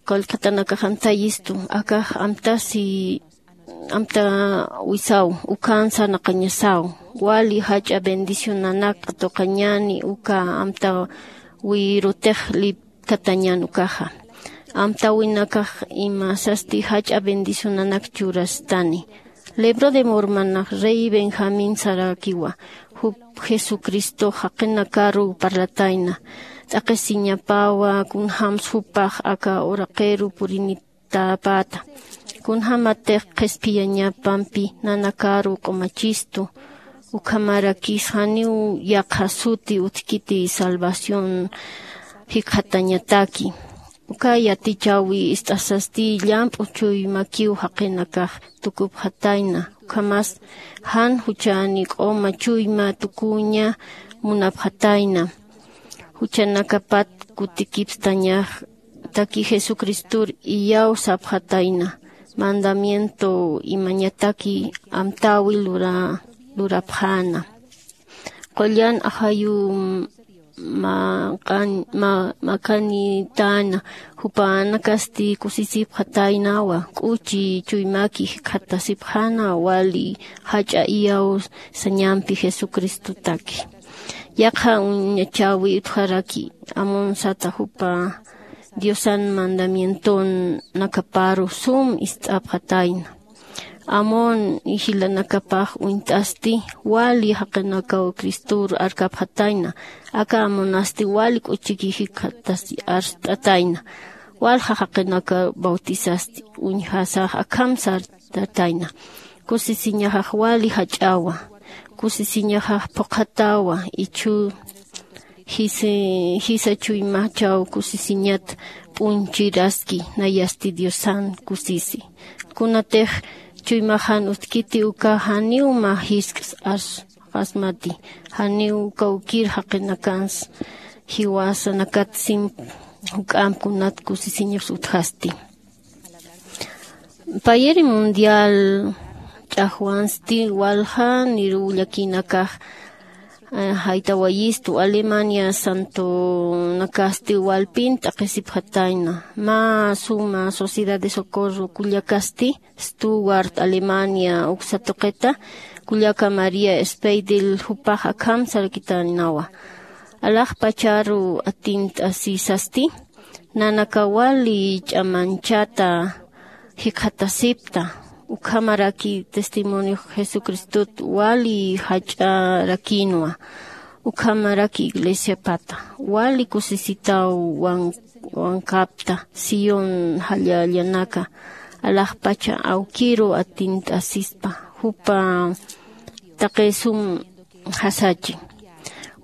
qillqatanakax amtayistu akax amtasi amtäwisaw ukan sarnaqañasaw wali jach'a bendicionanak qatuqañäni uka amtäwirutix lipkatañän ukaxa. Amtäwinakax imasasti jach'a bendicionanak churastani. Libro de mormanax rey benjamín sarakiwa jup jesucristox jaqinakaruw parlatayna t'aqhisiñapawa kunjämsa jupax aka uraqiru purinitäpäta kunjämatix qhispiyañapampi nanakaru q'umachistu. Ukhamarakis janiw yaqha suti utjkiti salvación jikxatañataki. Uka yatichäwi ist'asasti llamp'u chuymakiw jaqinakax tukupxatayna ukhamas jan juchani q'uma chuyma tukuña munapxatayna. Juchanakapat kutikipstañax taki jesucristor iyaw sapxatayna. mandamiento imañataki amtäwi lura lurapxäna. Qullan ajayu makanitana jupanakasti kusisipxataynawa k'uchi chuymaki jikxatasipxäna wali jach'a iyaw sañampi jesucristotaki. Yaqha uñachäwi utjaraki amon sata jupa diosan mandamienton nakaparu sum ist'apxatayna. Amon jilanakapax uñt'asti wali jaqinakaw cristor arkapxatayna. Aka amonasti wali k'uchiki jikxatasi arst'atayna. Walja jaqinaka bautisasti uñjasax akham sartatayna. Kusisiñaxax wali jach'awa. Kusisiñaxax phuqhatawa ichhu jisa chuymachaw kusisiñat p'unchiraski nayasti diosan kusisi. Kunatix chuymaxan utkiti uka janiw mä jisk's arsqasmati. Janiw kawkir jaqinakans jiwasanakat simp juk'amp kunat kusisiñas utjasti. Payiri mundial ch'axwansti walja niruw llakinakax jaytawayistu alemania santonakasti walpin t'aqhisipxatayna. Mä suma sociedad de socorro kullakasti stuwart alemania uksa tuqita kullaka maría speidel jupax akham sarakitaynawa. Alaxpacharu atint'asisasti nanaka wali ch'amanchata jikxatasipta. Ukhamaraki testimoniox jesucristot wali jach'arakinwa. Ukhamaraki iglesiapata wali kusisitaw wankapta sión jallallanaka alaxpacha awkiru atint'asispa jupa taqisum jasachi.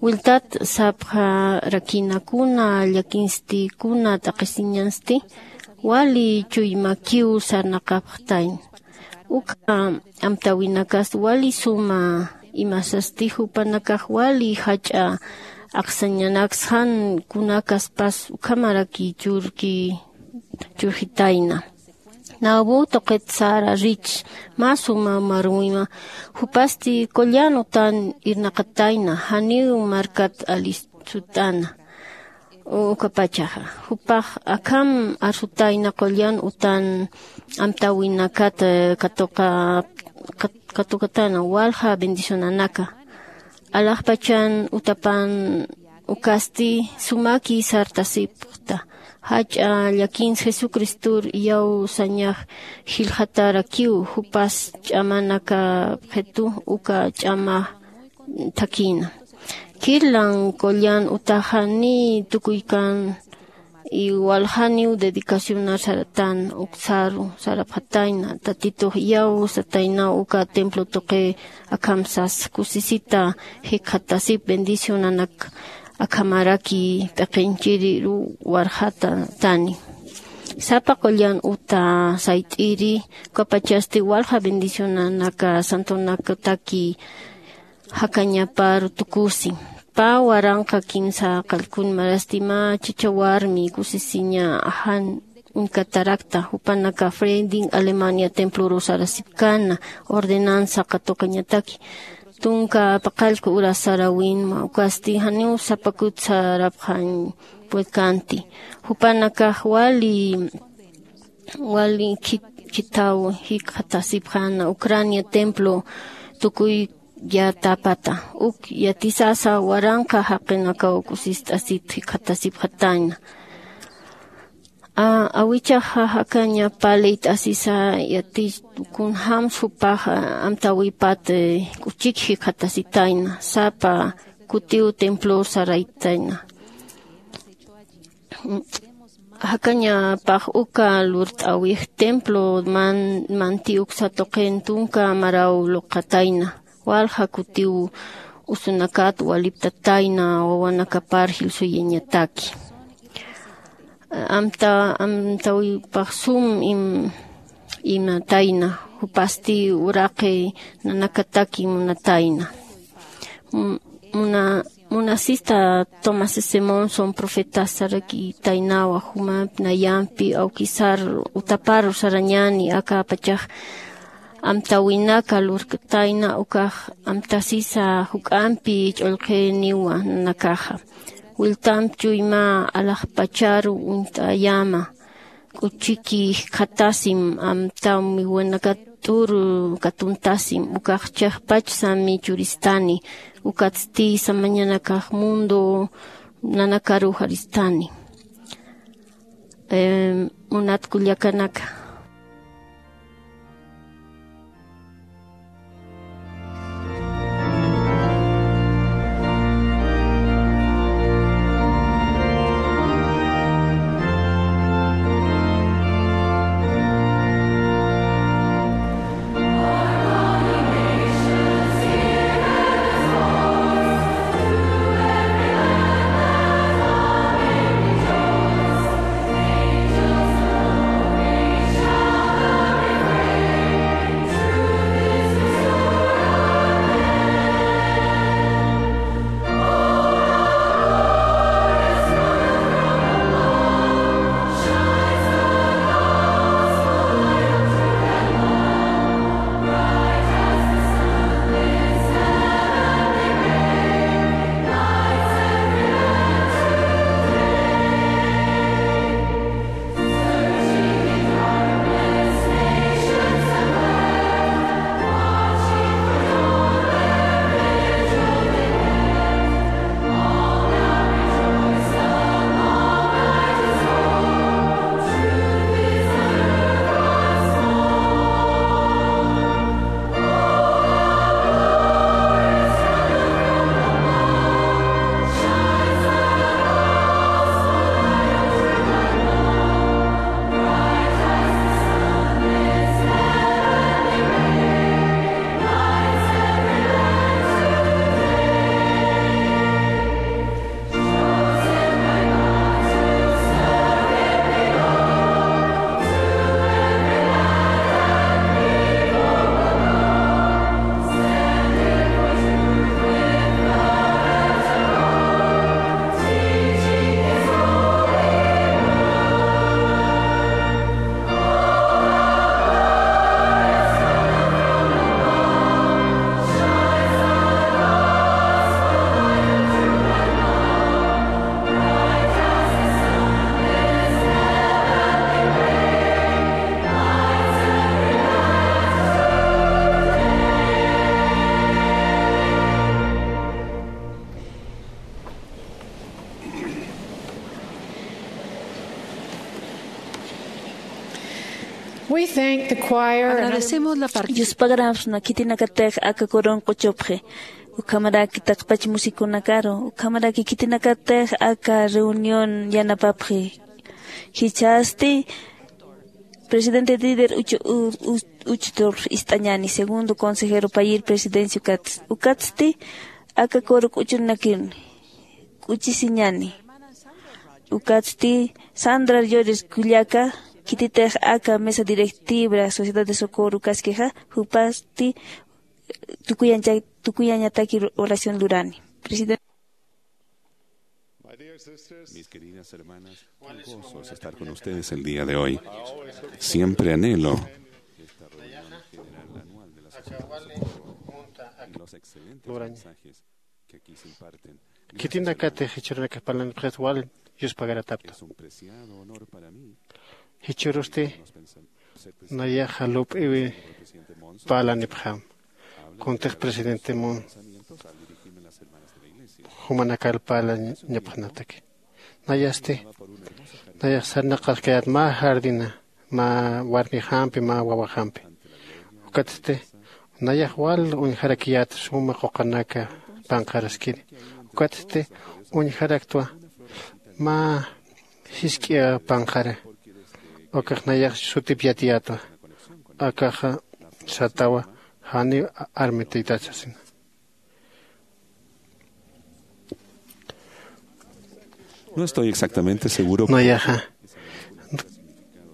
Wiltat sapxarakinakuna llakinstikuna t'aqhisiñansti wali chuymakiw sarnaqapxtayn. Uka amtäwinakas wali suma imasasti jupanakax wali jach'a aqsañanaksxan kunakaspas ukhamaraki churki churjitayna. Nawbu tuqit sara rich mä suma marwima jupasti qullan utan irnaqatayna janiw markat alisut'ana. Ukapachaxa jupax akham arsutayna qullan utan amtäwinakat katuqa katuqatana walja bendicionanaka. Alaxpachan utapan ukasti sumaki sartasipxta. Jach'a llakins jesucristor iyawsañax jillxatarakiw jupas ch'amanakapxitu uka ch'ama thakïna. Kirlan qullan utaxa ni tukuykan iwaljaniw dedicacionar saratan uksaru sarapxatayna tatitux iyaw sataynaw uka templo tuqi akhamsas kusisita jikxatasip bendicionanak akhamaraki p'iqinchiriru warxatatani. Sapa qullan uta sayt'iri ukapachasti walja bendicionanaka santonakataki jakañaparu tukusi. Pä waranqa kimsa qallkun marasti mä chacha warmi kusisiña jan uñkatarakta jupanaka fredin alemania temploru sarasipkana ordenanza katuqañataki tunka paqallku ura sarawinma ukasti janiw sapakut sarapxañ puedkanti. Jupanakax wali wali khithaw jikxatasipxäna ucrania templo tukuy yatapata uk yatisasa waranqa jaqinakaw kusist'asit jikxatasipxatayna. Awichaxa jakaña palït'asisa yatich kunjämsa jupax amtäwipat k'uchik jikxatasitayna sapa kutiw templor saraytayna. Jakañapax uka lurt'äwix templo manti uksa tuqin tunka maraw luqatayna walja kutiw usunakat waliptatayna wawanakapar jilsuyañataki. Amta amtawipax sum imatayna jupasti uraqi nanakataki munatayna. Muna munasista Thomas S. Monson profetas sarakitaynawa jumampi nayampi awkisar utapar sarañani akapachax amtawinaka lurktayna ukax amtasisa juk'ampi ch'ullqiniwa nakaxa. Wiltamp chuyma alaxpacharu uñt'ayama k'uchiki jikxatasim amtamiwinakat'ur katuntasim ukax chiqpach sami churistani. Ukatsti samañanakax mundo nanakaruxaristani. Em, munat kullakanaka. We thank the choir and other Agradecemos la parte Yuspagarapxsna khitinakatix aka kurun q'uchupxi. Ukhamaraki taqpach musikunakaru, ukhamaraki khitinakatix aka reunión yanapapxi. Jichhasti presidente Dieter Uchtdorf ist'añani, segundo consejero payïr presidencia ukats, ukatsti aka kuru k'uchunakiruni k'uchisiñani. Ukatsti Sandra Llores kullaka, khititix aka mesa directiva Sociedad de Socorro kaskixa, jupasti tukuyancha-, tukuyañataki oración lurani. Presidente. Mis queridas hermanas, qué gozo es estar con ustedes el día de hoy. Siempre anhelo esta reunión general anual de la Sociedad de Socorro y los excelentes mensajes que aquí se imparten. Khitinakatix jichhürunakax parlanipxit wal yuspagaratapta. Es un preciado honor para mí. Jichhürusti nayaxa lup'iwi parlanipxam. Kuntix presidente Monson jumanakar parlañapxnataki. Nayasti nayax sarnaqaskayät mä jardina, mä warmixampi, mä wawaxampi. Ukatsti nayax wal uñjarakiyät suma quqanaka panqaraskiri. Ukatsti uñjaraktwa mä jisk'i panqara. Ukax nayax sutip yatiyätwa. Akaxa satawa janiw armitaytat sasina. No estoy exactamente seguro. Nayaxa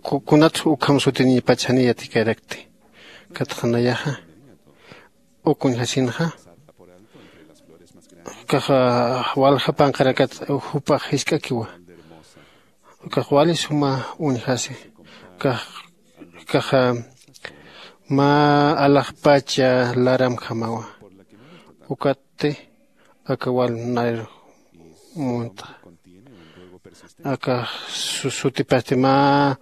ku-, kunat ukham sutiniñpach jani yatikarakti. Ukatxa nayaxa uk uñjasinxa Kaxa walja panqarakat jupax jisk'akiwa. Kax wali suma uñjasi. Kax kaxa mä alaxpacha laramjamawa. Ukatti aka wal nayr munta aka sutipasti mä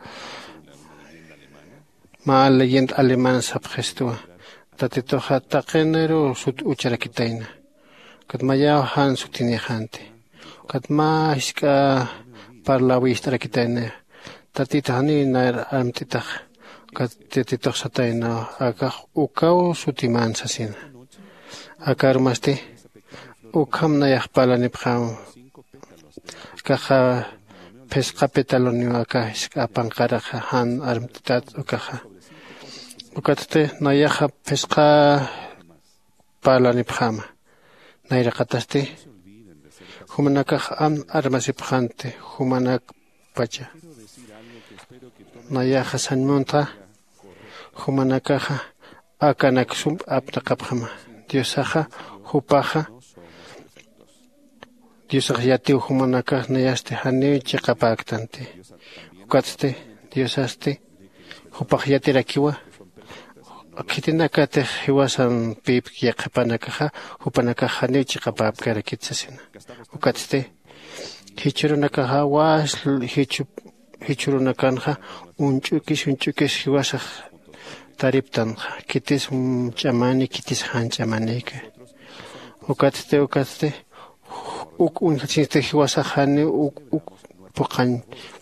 mä leyenda alemana sapxistuwa. Tatituxa taqiniru sut ucharakitayna. Kat mayaw jan sutinixanti. Kat mä jisk'a parlawist'arakitayna. Tatitux janiw nayr armt'itax. Kat tatitux satayna akax ukaw sutiman sasina. Akarumasti ukham nayax parlanipxam. Kaxa phisqa petaluniw aka jisk'a panqaraxa jan armt'itat ukaxa. Ukatsti nayaxa phisqa parlanipxäma. Nayraqatasti jumanakax an armasipxanti jumanakpacha. Nayaxa sañmuntxa jumanakaxa akanak sump apnaqapxama. Diosaxa jupaxa diosax yatiw jumanakax nayasti janiw chiqapäktanti. Ukatsti diosasti jupax yatirakiwa. Khitinakatix jiwasan pïp yaqhipanakaxa jupanakax janiw chiqapäpkarakit sasina. Ukatsti jichhürunakaxa wasl jichhurunakanxa uñch'ukis uñch'ukis jiwasax tariptanxa khitis ch'amani khitis jan ch'amanïka. Ukatsti ukatsti uk uñjatsinsti jiwasax janiw uk uk phuqhañ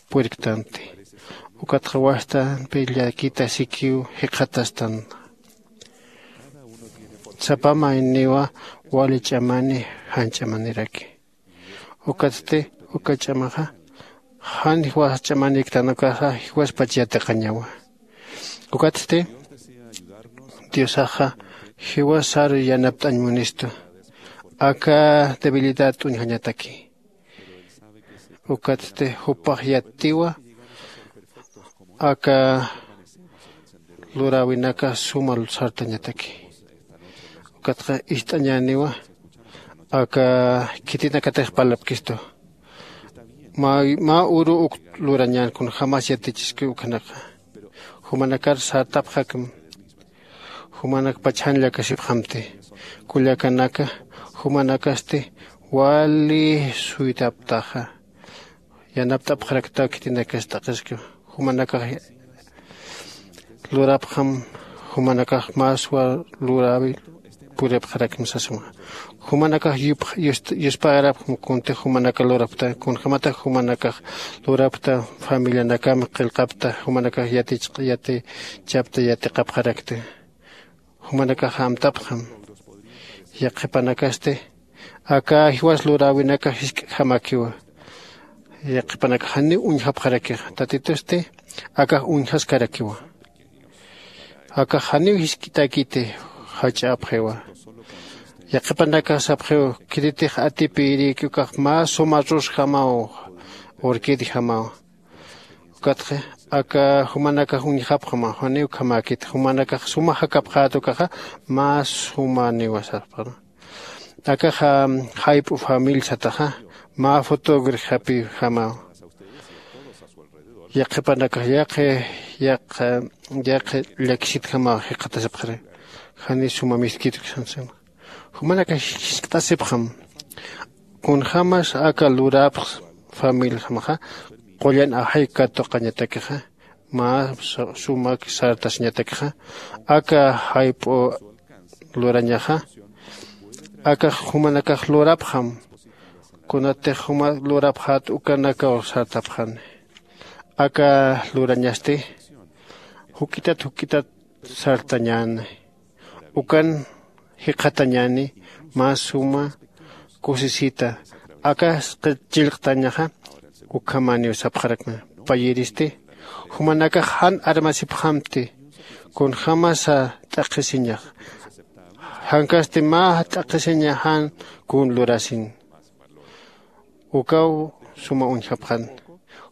purirktanti. Ukatxa wastampi llakita sikiw jikxatastan. Sapa mayniwa wali ch'amani jan ch'amaniraki. Ukatsti uka ch'amaxa jan jiwas ch'amaniktan ukaxa jiwaspach yatiqañawa. Ukatsti diosaxa jiwasar yanapt'añ munistu aka debilidad t'uñjañataki. Ukatsti jupax yatiwa aka luräwinaka suma sartañataki. Ukatxa ist'añäniwa aka khitinakatix parlapkistu. Mä uru uk lurañän kunjämas yatichiski ukhanaka jumanakar sartapxakma. Jumanakpach jan llakasipxamti. Kullakanaka jumanakasti wali suytaptaxa. Yanapt'apxaraktaw khitinakas t'aqhiski. Jumanakax lurapxam jumanakax maswa luräwi puripxarakma sasma. Jumanakax yuspagarapxam kuntix jumanaka lurapxta kunjämatax jumanakax lurapxta familianakam qillqapxta jumanakax yatichapxta yatiqapxarakta. Jumanakax amtapxam. Yaqhipanakasti aka jiwas luräwinakax jisk'jamäkiwa. Yaqhipanakax janiw uñjapxarakixa tatitusti akax uñjaskarakiwa. Akax janiw jisk'itäkiti jach'apxiwa. Yaqhipanakax sapxiw khititix atipïrïki ukax mä suma rusjamaw urkidjamaw. Ukatxa aka jumanakax uñjapxama janiw ukhamäkiti jumanakax suma jakapxät ukaxa mä sumaniwa sapxama. Akaxa jayp'u familia sataxa mä fotógrafapïjamaw. Yaqhipanakax yaqi yaqi yaqi llakisitjamaw jikxatasipxari. Janiw suma miskitki sansima. Jumanakax jiskt'asipxam. Kunjämas aka lurapx familiajamaxa qullan ajay katuqañatakixa mä sumak sartasiñatakixa aka jayp'u lurañaxa. Akax jumanakax lurapxam. Kunatix juma lurapxät ukanakaw sartapxani. Aka lurañasti juk'itat juk'itat sartañäni. Ukan jikxatañäni mä suma kusisita. Aka chillqtañaxa ukhamäniw sapxarakma. Payïristi jumanakax jan armasipxamti. Kunjämasa t'aqhisiñax jankasti mä t'aqhisiña jan kun lurasin. Ukaw suma uñjapxan.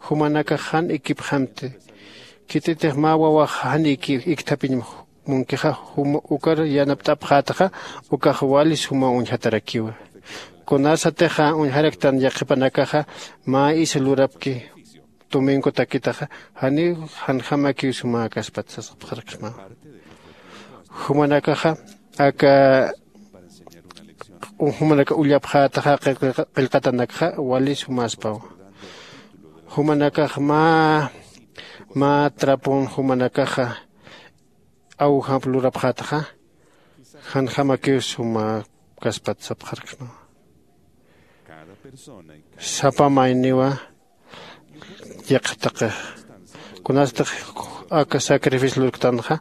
Jumanakax jan ikipxamti. Khititix mä wawax jan iki ikthapiñ munkixa juma ukar yanapt'apxätaxa ukax wali suma uñjatarakiwa. Kunasatixa uñjaraktan yaqhipanakaxa mä isa lurapki domingotakitaxa, janiw janjamakiw sumäkaspat sasxapxarksmawa. Jumanakaxa aka jumanaka ullapxätaxa qillqatanakxa wali sumäspawa. Jumanakax mä mä trapon jumanakaxa awjamp lurapxätaxa, janjamakiw sumäkaspat sapxarksmawa. Sapa mayniwa yaqha taqix kunastix aka sacrificio lurktanxa,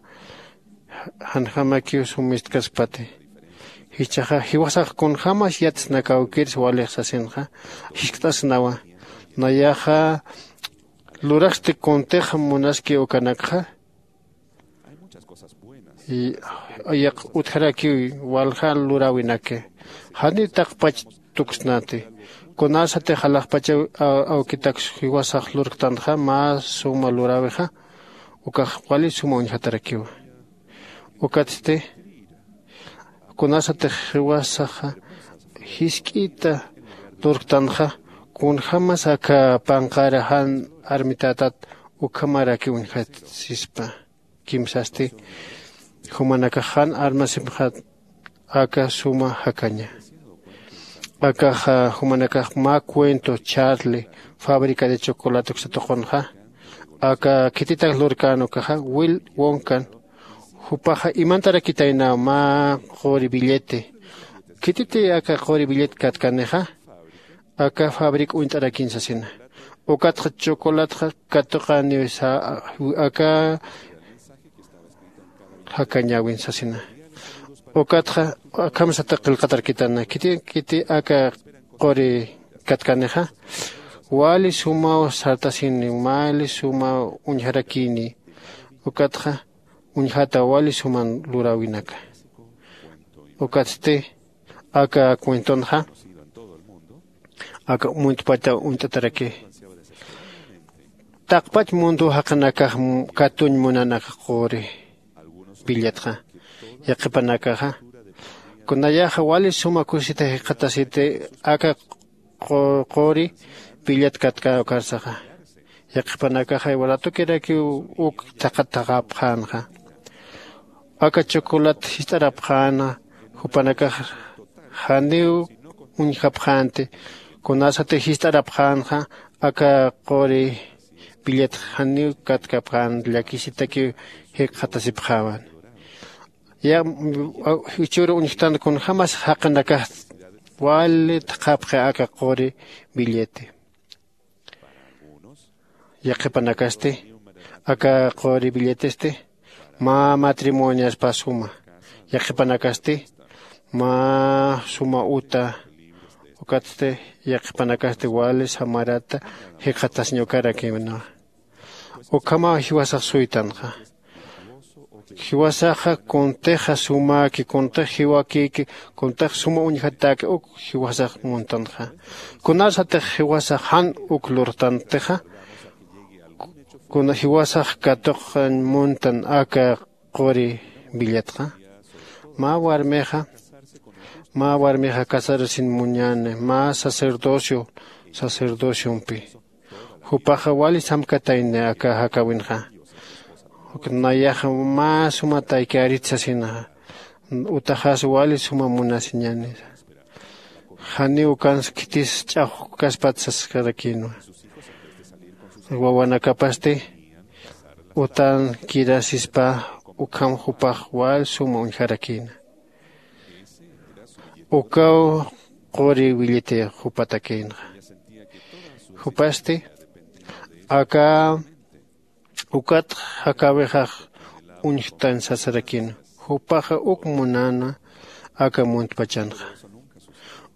janjamakiw sumistkaspati. Jichhaxa jiwasax kunjämas yatsnakawkirsa walix sasinxa jiskt'asnawa. Nayaxa lurasti kuntix munaski ukanakxa. Yaq utjarakiw walja luräwinaki. Janiw taqpach tuksnati. Kunasatix alaxpachaw awkitaks jiwasax lurktanxa mä suma luräwixa, ukax wali suma uñjatarakiwa. Ukatsti kunasatix jiwasaxa jisk'ita lurktanxa, kunjämas aka panqara jan armitätat ukhamarakiw uñjatsispa. Kimsasti jumanakax jan armasipxät aka suma jakaña. Akaxa jumanakax mä cuento charlie fábrica de chocolate uksa tuqunxa, aka khititak lurkän ukaxa will wonkan. Jupaxa imantarakitaynaw mä quri billete. Khititi aka quri billet katkanixa, aka fabric uñt'arakiñ sasina. Ukatxa chocolatxa katuqäniw aka jakañäwin sasina. Ukatxa akhamsata qillqatarkitana khiti khiti aka quri katkanixa, wali sumaw sartasini, wali sumaw uñjarakini. Ukatxa uñjata wali suman luräwinaka. Ukatsti aka cuentonxa aka muntpata uñt'ataraki. Taqpach mundu jaqinakax katuñ munan aka quri billetxa. Yaqhipanakaxa kunayaxa wali suma kusita jikxatasiti aka quri billet katkäkarsaxa. Yaqhipanakaxa iwaratukirakiw uk thaqhat thaqhapxänxa. Aka chocolat jist'arapxäna jupanakax janiw uñjapxänti. Kunasati jist'arapxänxa aka quri billet janiw katkapxän llakisitakiw jikxatasipxäwan. Ya jichhür uñjtan kunjämas jaqinakax wali thaqhapxi aka quri billete. Yaqhipanakasti aka quri billetesti mä matrimoniaspa suma. Yaqhipanakasti mä suma uta. Ukatsti yaqhipanakasti wali samarata jikxatasiñ ukarakïnwa. Ukhamaw jiwasax suytanxa. Jiwasaxa kuntixa sumäki kuntix jiwakïki kuntix suma uñjatäki uk jiwasax muntanxa. Kunasatix jiwasax jan uk lurtantixa, kuna jiwasax katuqañ muntan aka quri billetxa. Mä warmixa mä warmixa casarasin muñäni mä sacerdocio sacerdociompi. Jupaxa wali samkatayni aka jakäwinxa. Nayaxa mä suma taykärit sasina. Utaxas wali suma munasiñäni. Janiw ukansa khitis ch'axwkaspat saskarakïnwa. Wawanakapasti utan kirasispa ukham jupax wal suma uñjarakïna. Ukaw quri williti jupatakïnxa. Jupasti aka ukat jakäwixax uñjtan sasarakïna. Jupaxa uk munäna aka muntpachanxa.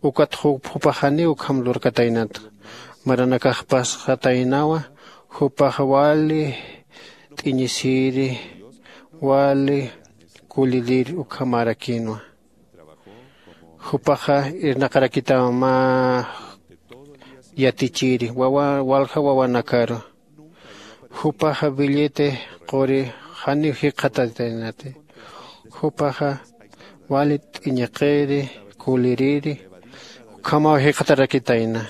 Ukat jupax janiw ukham lurkataynatxa. Maranakax pasxataynawa. Jupaxa wali t'iñisiri wali kulirir ukhamärakïnwa. Jupaxa irnaqarakitaw mä yatichiri walja wawanakaru. Jupaxa billete quri janiw jikxatataynati. Jupaxa wali t'iñiqiri kuliriri Ukhamaw jikxatarakitayna.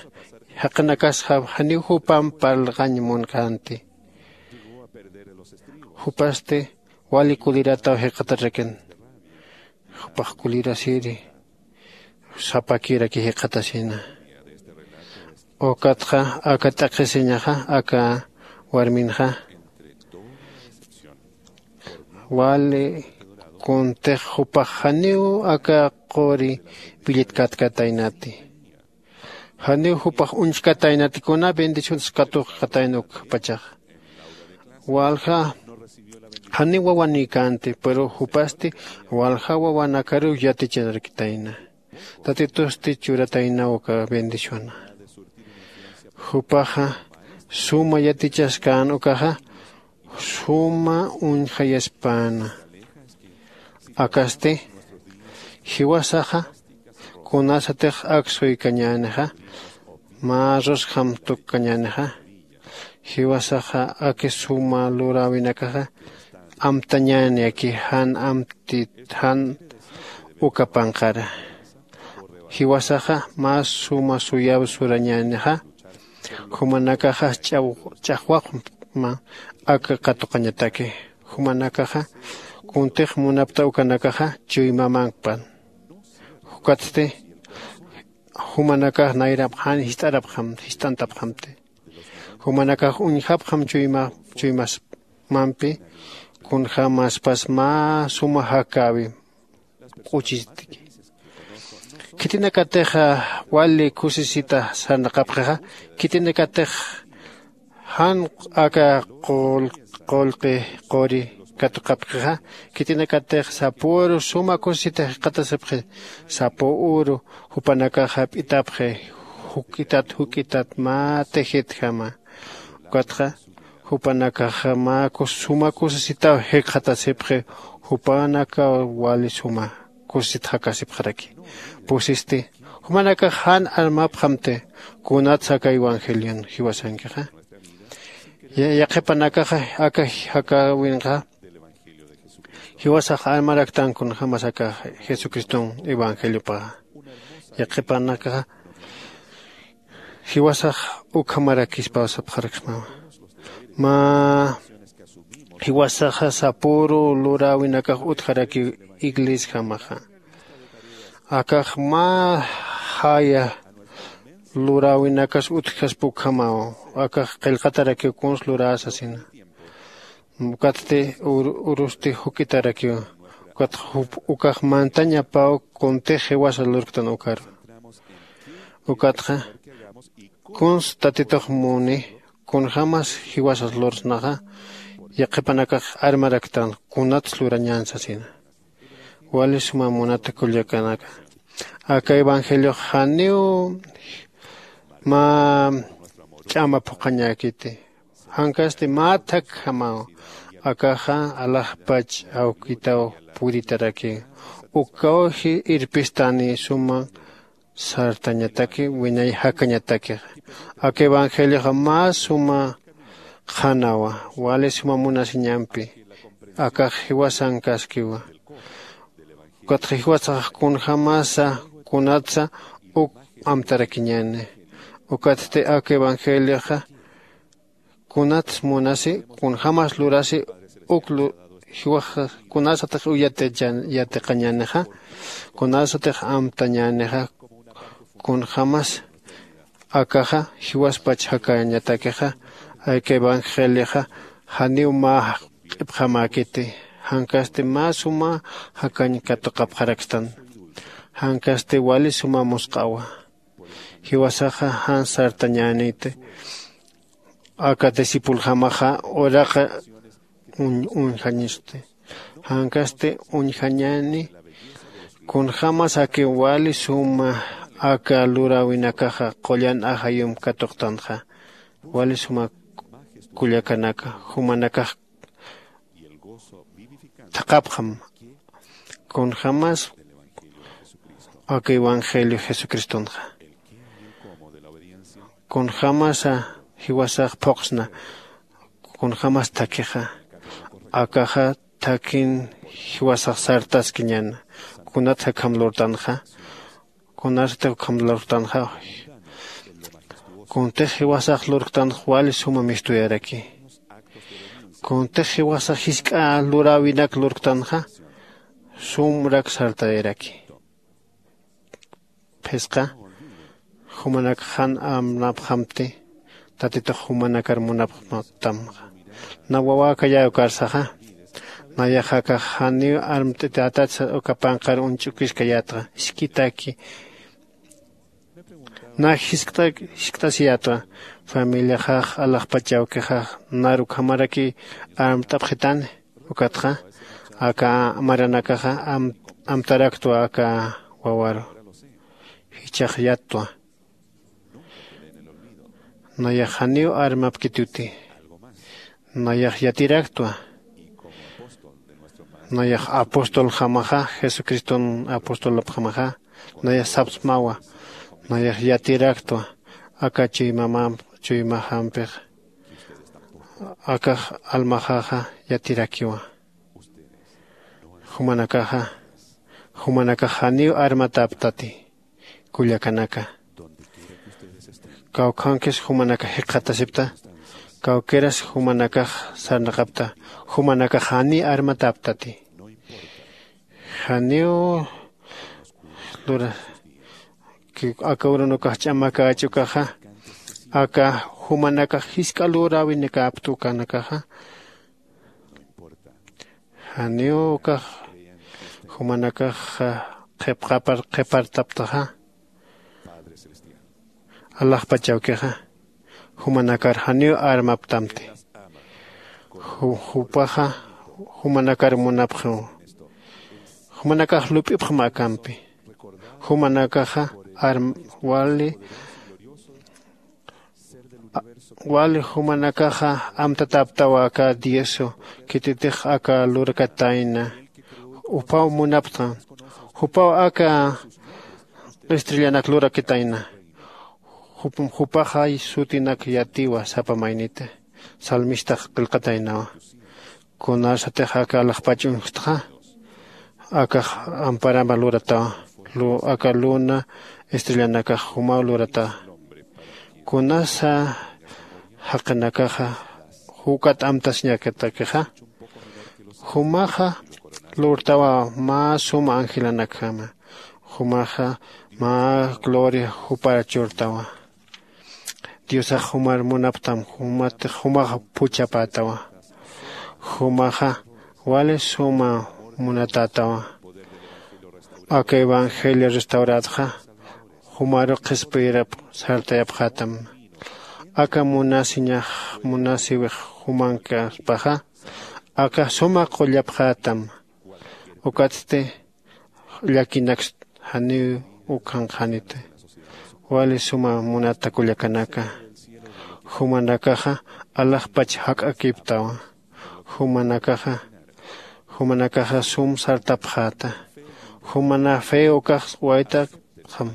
Jaqinakasxa janiw jupam parlqañ munkänti. Jupasti wali kulirataw jikxatarakin. Jupax kulirasiri sapakiraki jikxatasina. Ukatxa aka t'aqhisiñaxa aka warminxa wali kuntix jupax janiw aka quri willitkatkatäynati. Janiw jupax uñjkatäynati kuna bendicionas katuqkatayna ukpachaxa. Walja janiw wawanïkänti pero jupasti walja wawanakaruw yaticharakitayna. Tatitusti churataynaw uka bendiciona. Jupaxa suma yatichaskän ukaxa suma uñjayaspäna. Akasti jiwasaxa kunasatix ak suykañänixa mä rusjam tukkañänixa jiwasaxa aki suma luräwinakaxa amtañäni aki jan amtit jan uka panqara. Jiwasaxa mä suma suyaw surañänixa jumanakaxa ch'axwaqma aka katuqañataki. Jumanakaxa kuntix munapta ukanakaxa chuymamankpan. Jukatsti jumanakax nayrapxan jist'arapxam jist'antapxamti. Jumanakax uñjapxam chuyma chuymasmampi kunjämaspas mä suma jakäwi q'uchistki. Khitinakatix wali kusisita sarnaqapxixa khitinakatix jan aka qullqi quri katuqapxixa khitinakatix sapüru suma kusisita jikxatasipxi. Sapüru jupanakax jap'itapxi juk'itat juk'itat mä tejitjama. Ukatxa jupanakaxa mä suma kusisitaw jikxatasipxi jupanakaw wali suma kusisit jakasipxaraki. Pusisti jumanakax jan armapxamti kunatsa aka evangelion jiwasankixa yaqhipanakaxa aka jakäwinxa jiwasax armaraktan kunjämas aka jesucriston evangeliopaxa. Yaqhipanakaxa jiwasax ukhamarakispaw sapxaraksmawa. Mä jiwasaxa sapüru luräwinakax utjarakiw iglesiajamaxa. Akax mä jaya luräwinakas utjkaspa ukhamaw. Akax qillqatarakiw kuns luräsasina. Ukatsti urusti juk'itarakiw. Ukatxa ukax mantañapaw kuntix jiwasa lurktan ukaru. Ukatxa kuns tatitux muni kunjämas jiwasas lursnaxa yaqhipanakax armaraktan kunats lurañän sasina. Wali suma munata kullakanaka aka evangeliox janiw mä ch'ama phuqhañäkiti. Jankasti mä thakjamaw akaxa alaxpach awkitaw puritaraki. Ukawji irpistani suma sartañataki wiñay jakañatakixa. Aka evangelioxa mä suma qhanawa wali suma munasiñampi akax jiwasankaskiwa. Ukatxa jiwasax kunjämasa kunatsa uk amtarakiñäni. Ukatsti aka evangelioxa kunats munasi kunjämas lurasi uk jiwax kunasatix uyat yatiqañänixa kunasatix amtañänixa kunjämas akaxa jiwaspach jakañatakixa. Aka evangelioxa janiw mä q'ipxamäkiti jankasti mä suma jakañ katuqapxarakstan. Jankasti wali suma musq'awa. Jiwasaxa jan sartañäniti aka discipuljamaxa uraqa uñjañisti. Jankasti uñjañäni kunjämas aki wali suma aka luräwinakaxa qullan ajayump katuqtanxa. Wali suma kullakanaka jumanakax thaqhapxam kunjämas aka evangelio jesucristonxa kunjämasa jiwasax phuqsna kunjämas thakhixa. Akaxa thakhin jiwasax sartaskiñäna kunat jakham lurtanxa Kunasatix ukham lurktanxa, kuntix jiwasax lurktanx wali suma mistuyaraki. Kuntix jiwasax jisk'a luräwinak lurktanxa, sumrak sartayaraki. Phisqa jumanak jan amnapxamti, tatitux jumanakar munapxtamxa. Na wawäkayäw karsaxa, nayax akax janiw armt'itayätatsa uka panqar uñch'ukiskayätxa, iskitaki. Na jiskt'asiyätwa, familiaxax alaxpach awkixax nar ukhamaraki armt'apxitani. Ukatxa aka maranakaxa amtaraktwa aka wawaru. Jichhax yattwa. Nayax janiw armapkituti. Nayax yatiraktwa. Nayax apostoljamaxa, jesucriston apostolapxamaxa, nayax sapsmawa. Nayax yatiraktwa aka chuymamamp chuymaxampix. Akax almaxaxa yatirakiwa. Jumanakaxa jumanakax janiw armatäptati. Kullakanaka, kawkhankis jumanakax jikxatasipta. Kawkiras jumanakax sarnaqapta. Jumanakax janiy armatäptati. Janiw lura aka urunukax ch'amakäch ukaxa, aka jumanakax jisk'a luräwinakäpt ukanakaxa. Janiw ukax jumanakax qhipqapar qhipartaptaxa. Alaxpach awkixa jumanakar janiw armaptamti. Jupaxa jumanakar munapxiw. Jumanakax lup'ipxam akampi. Jumanakaxa arm wali wali jumanakaxa amtatäptawa aka diosu khititix aka lurakatayna. Jupaw munapxtam. Jupaw aka estrellanak lurakatayna. Jupaxay sutinak yatiwa sapa mayniti. Salmistax qillqataynawa. Kunasatix aka alaxpach uñjtxa akax amparama luratawa. Aka luna estrellanakax jumaw luratawa. Kunasa jaqinakaxa jukat amtasiñakatakixa, jumaxa lurtawa mä suma angelanakjama. Jumaxa mä gloria jupar churtawa. Diosax jumar munaptam jumatix jumaxa phuchhapätawa. Jumaxa wali suma munatätawa. Aka evangelio restaurätxa jumaru qhispiyirap sartayapxätam. Aka munasiñax munasiwix jumankaspaxa aka suma qullapxätam. Ukatsti llakinakst janiw ukhanqaniti. Wali suma munata kullakanaka, jumanakaxa alaxpach jak'akiptawa. Jumanakaxa jumanakaxa sum sartapxäta. Jumana fe ukax waytapxam.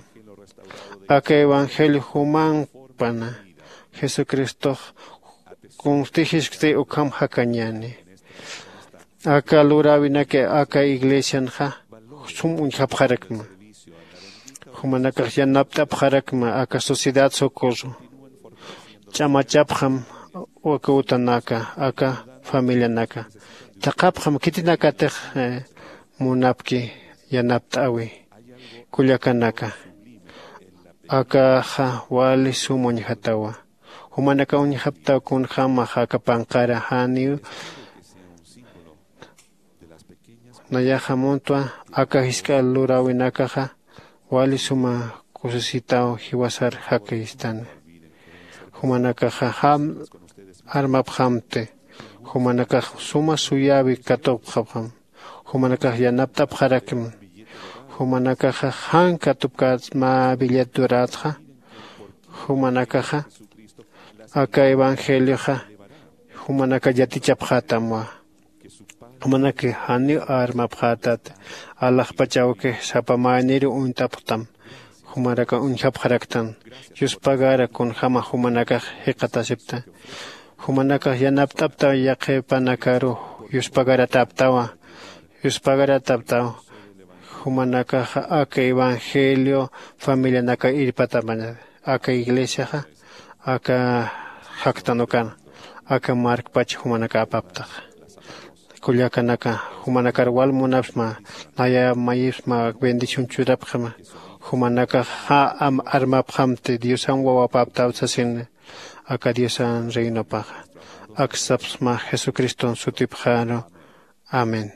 Aka evangelio jumanpana jesucristox kunstijiskti ukham jakañäni. Aka luräwinaki aka iglesianxa sum uñjapxarakma. Jumanakax yanapt'apxarakma aka sociedad socorro. Ch'amachapxam aka utanaka aka familianaka. Thaqhapxam khitinakatix munapki yanapt'äwi. Kullakanaka, akaxa wali sum uñjatawa. Jumanaka uñjaptaw kunjämax aka panqara janiw. Nayaxa muntwa aka jisk'a luräwinakaxa wali suma kusisitaw jiwasar jakistana. Jumanakaxa jam armapxamti. Jumanakax suma suyäwi katupxapxam. Jumanakax yanapt'apxarakma. Jumanakaxa jan katupkät mä billetdurätxa. Jumanakaxa aka evangelioxa jumanaka yatichapxätamwa. Jumanaki janiw armapxätat. Alaxpach awki sapa mayniru uñt'apxtam. Jumaraka uñjapxaraktan. Yuspagara kunjäma jumanakax jikxatasipta. Jumanakax yanapt'aptaw yaqhipanakaru. Yuspagaratäptawa. Yuspagaratäptaw. Jumanakaxa aka evangelio familianaka irpataman, aka iglesiaxa aka jaktanukana, aka markpach jumanaka apaptaxa. Kullakanaka, jumanakar wal munapxma, naya mayipxma bendición churapxma. Jumanakaxa armapxamti diosan wawapaptaw sasini, aka diosan reinopaxa. Aksapxsma jesucriston sutipxaru. Amén.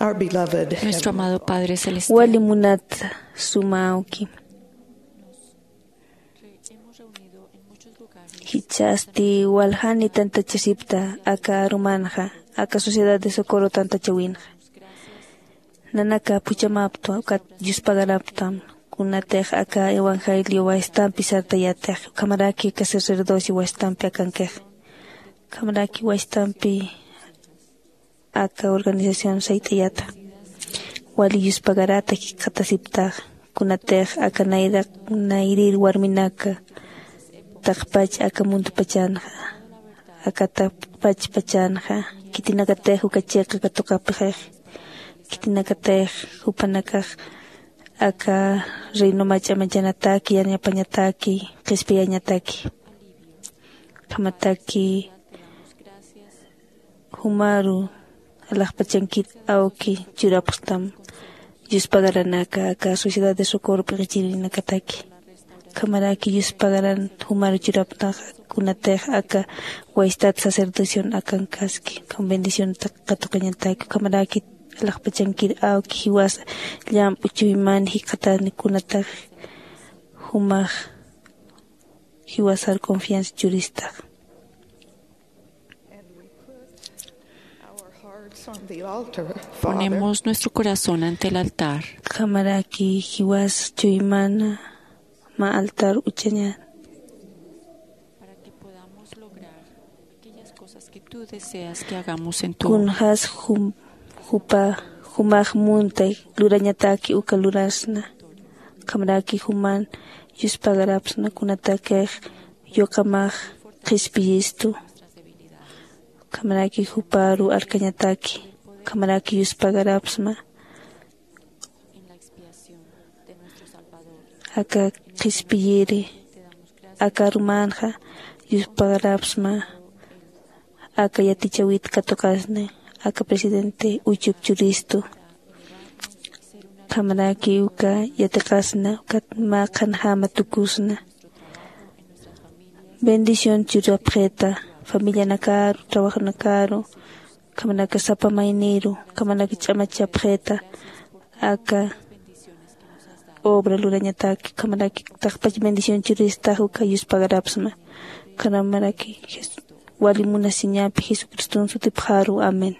Our beloved Nuestro amado Padre Celestial. Wali munat suma awki. Jichhasti waljani tantachasipta aka arumanxa, aka Sociedad de Socorro tantachawinxa. Nanaka phuchhamapxtam, ukat yuspagarapxtam, kunatix aka evangelio wastampi sartayatix, ukhamaraki aka sacerdocio wastampi akankix, ukhamaraki wastampi aka organización sayt'ayata. Wali yuspagarata jikxatasiptax, kunatix aka nayraq, nayrir warminaka, taqpach aka mundupachanxa, aka taqpach pachanxa, khitinakatix uka chiqa katuqapxix, khitinakatix jupanakax aka reino mach'a manchanataki, yanapañataki, qhispiyañataki. Ukhamataki jumaru alaxpachankir awki churapxtam. Yuspagaranaka aka sociedad de socorro p'iqichirinakataki, ukhamaraki yuspagaran jumar churaptaxa kunatix aka waystat sacerdocion akankaski ukham bendicionta katuqañataki ukhamaraki alaxpachankir awki jiwasa llamp'u chuyman jikxatani kunatax jumax jiwasar confianza churistax. Ponemos nuestro corazón ante el altar. Ukhamaraki jiwas chuymana mä altar uchañan. Para que podamos lograr aquellas cosas que tú deseas que hagamos en tu Kunjas jupa jumax muntay lurañataki uka lurasna. Ukhamaraki juman yuspagarapsna kunatakix yuqamax qhispiyistu. Ukhamaraki juparu arkañataki ukhamaraki yuspagarapsma. Aka qhispiyiri aka arumanxa yuspagarapsma. Aka yatichawit katuqasni aka presidente uchup churistu. Ukhamaraki uka yatiqasna ukat mä qhanjama tukusna. Bendición churapxita familianakaru trabajonakaru ukhamanaka sapa mayniru ukhamanaka ch'amachapxita. Aka obra lurañataki ukhamaraki taqpach bendición churistax uka yuspagarapsma. Ukhamaraki wali munasiñapi jesucriston sutipxaru amén.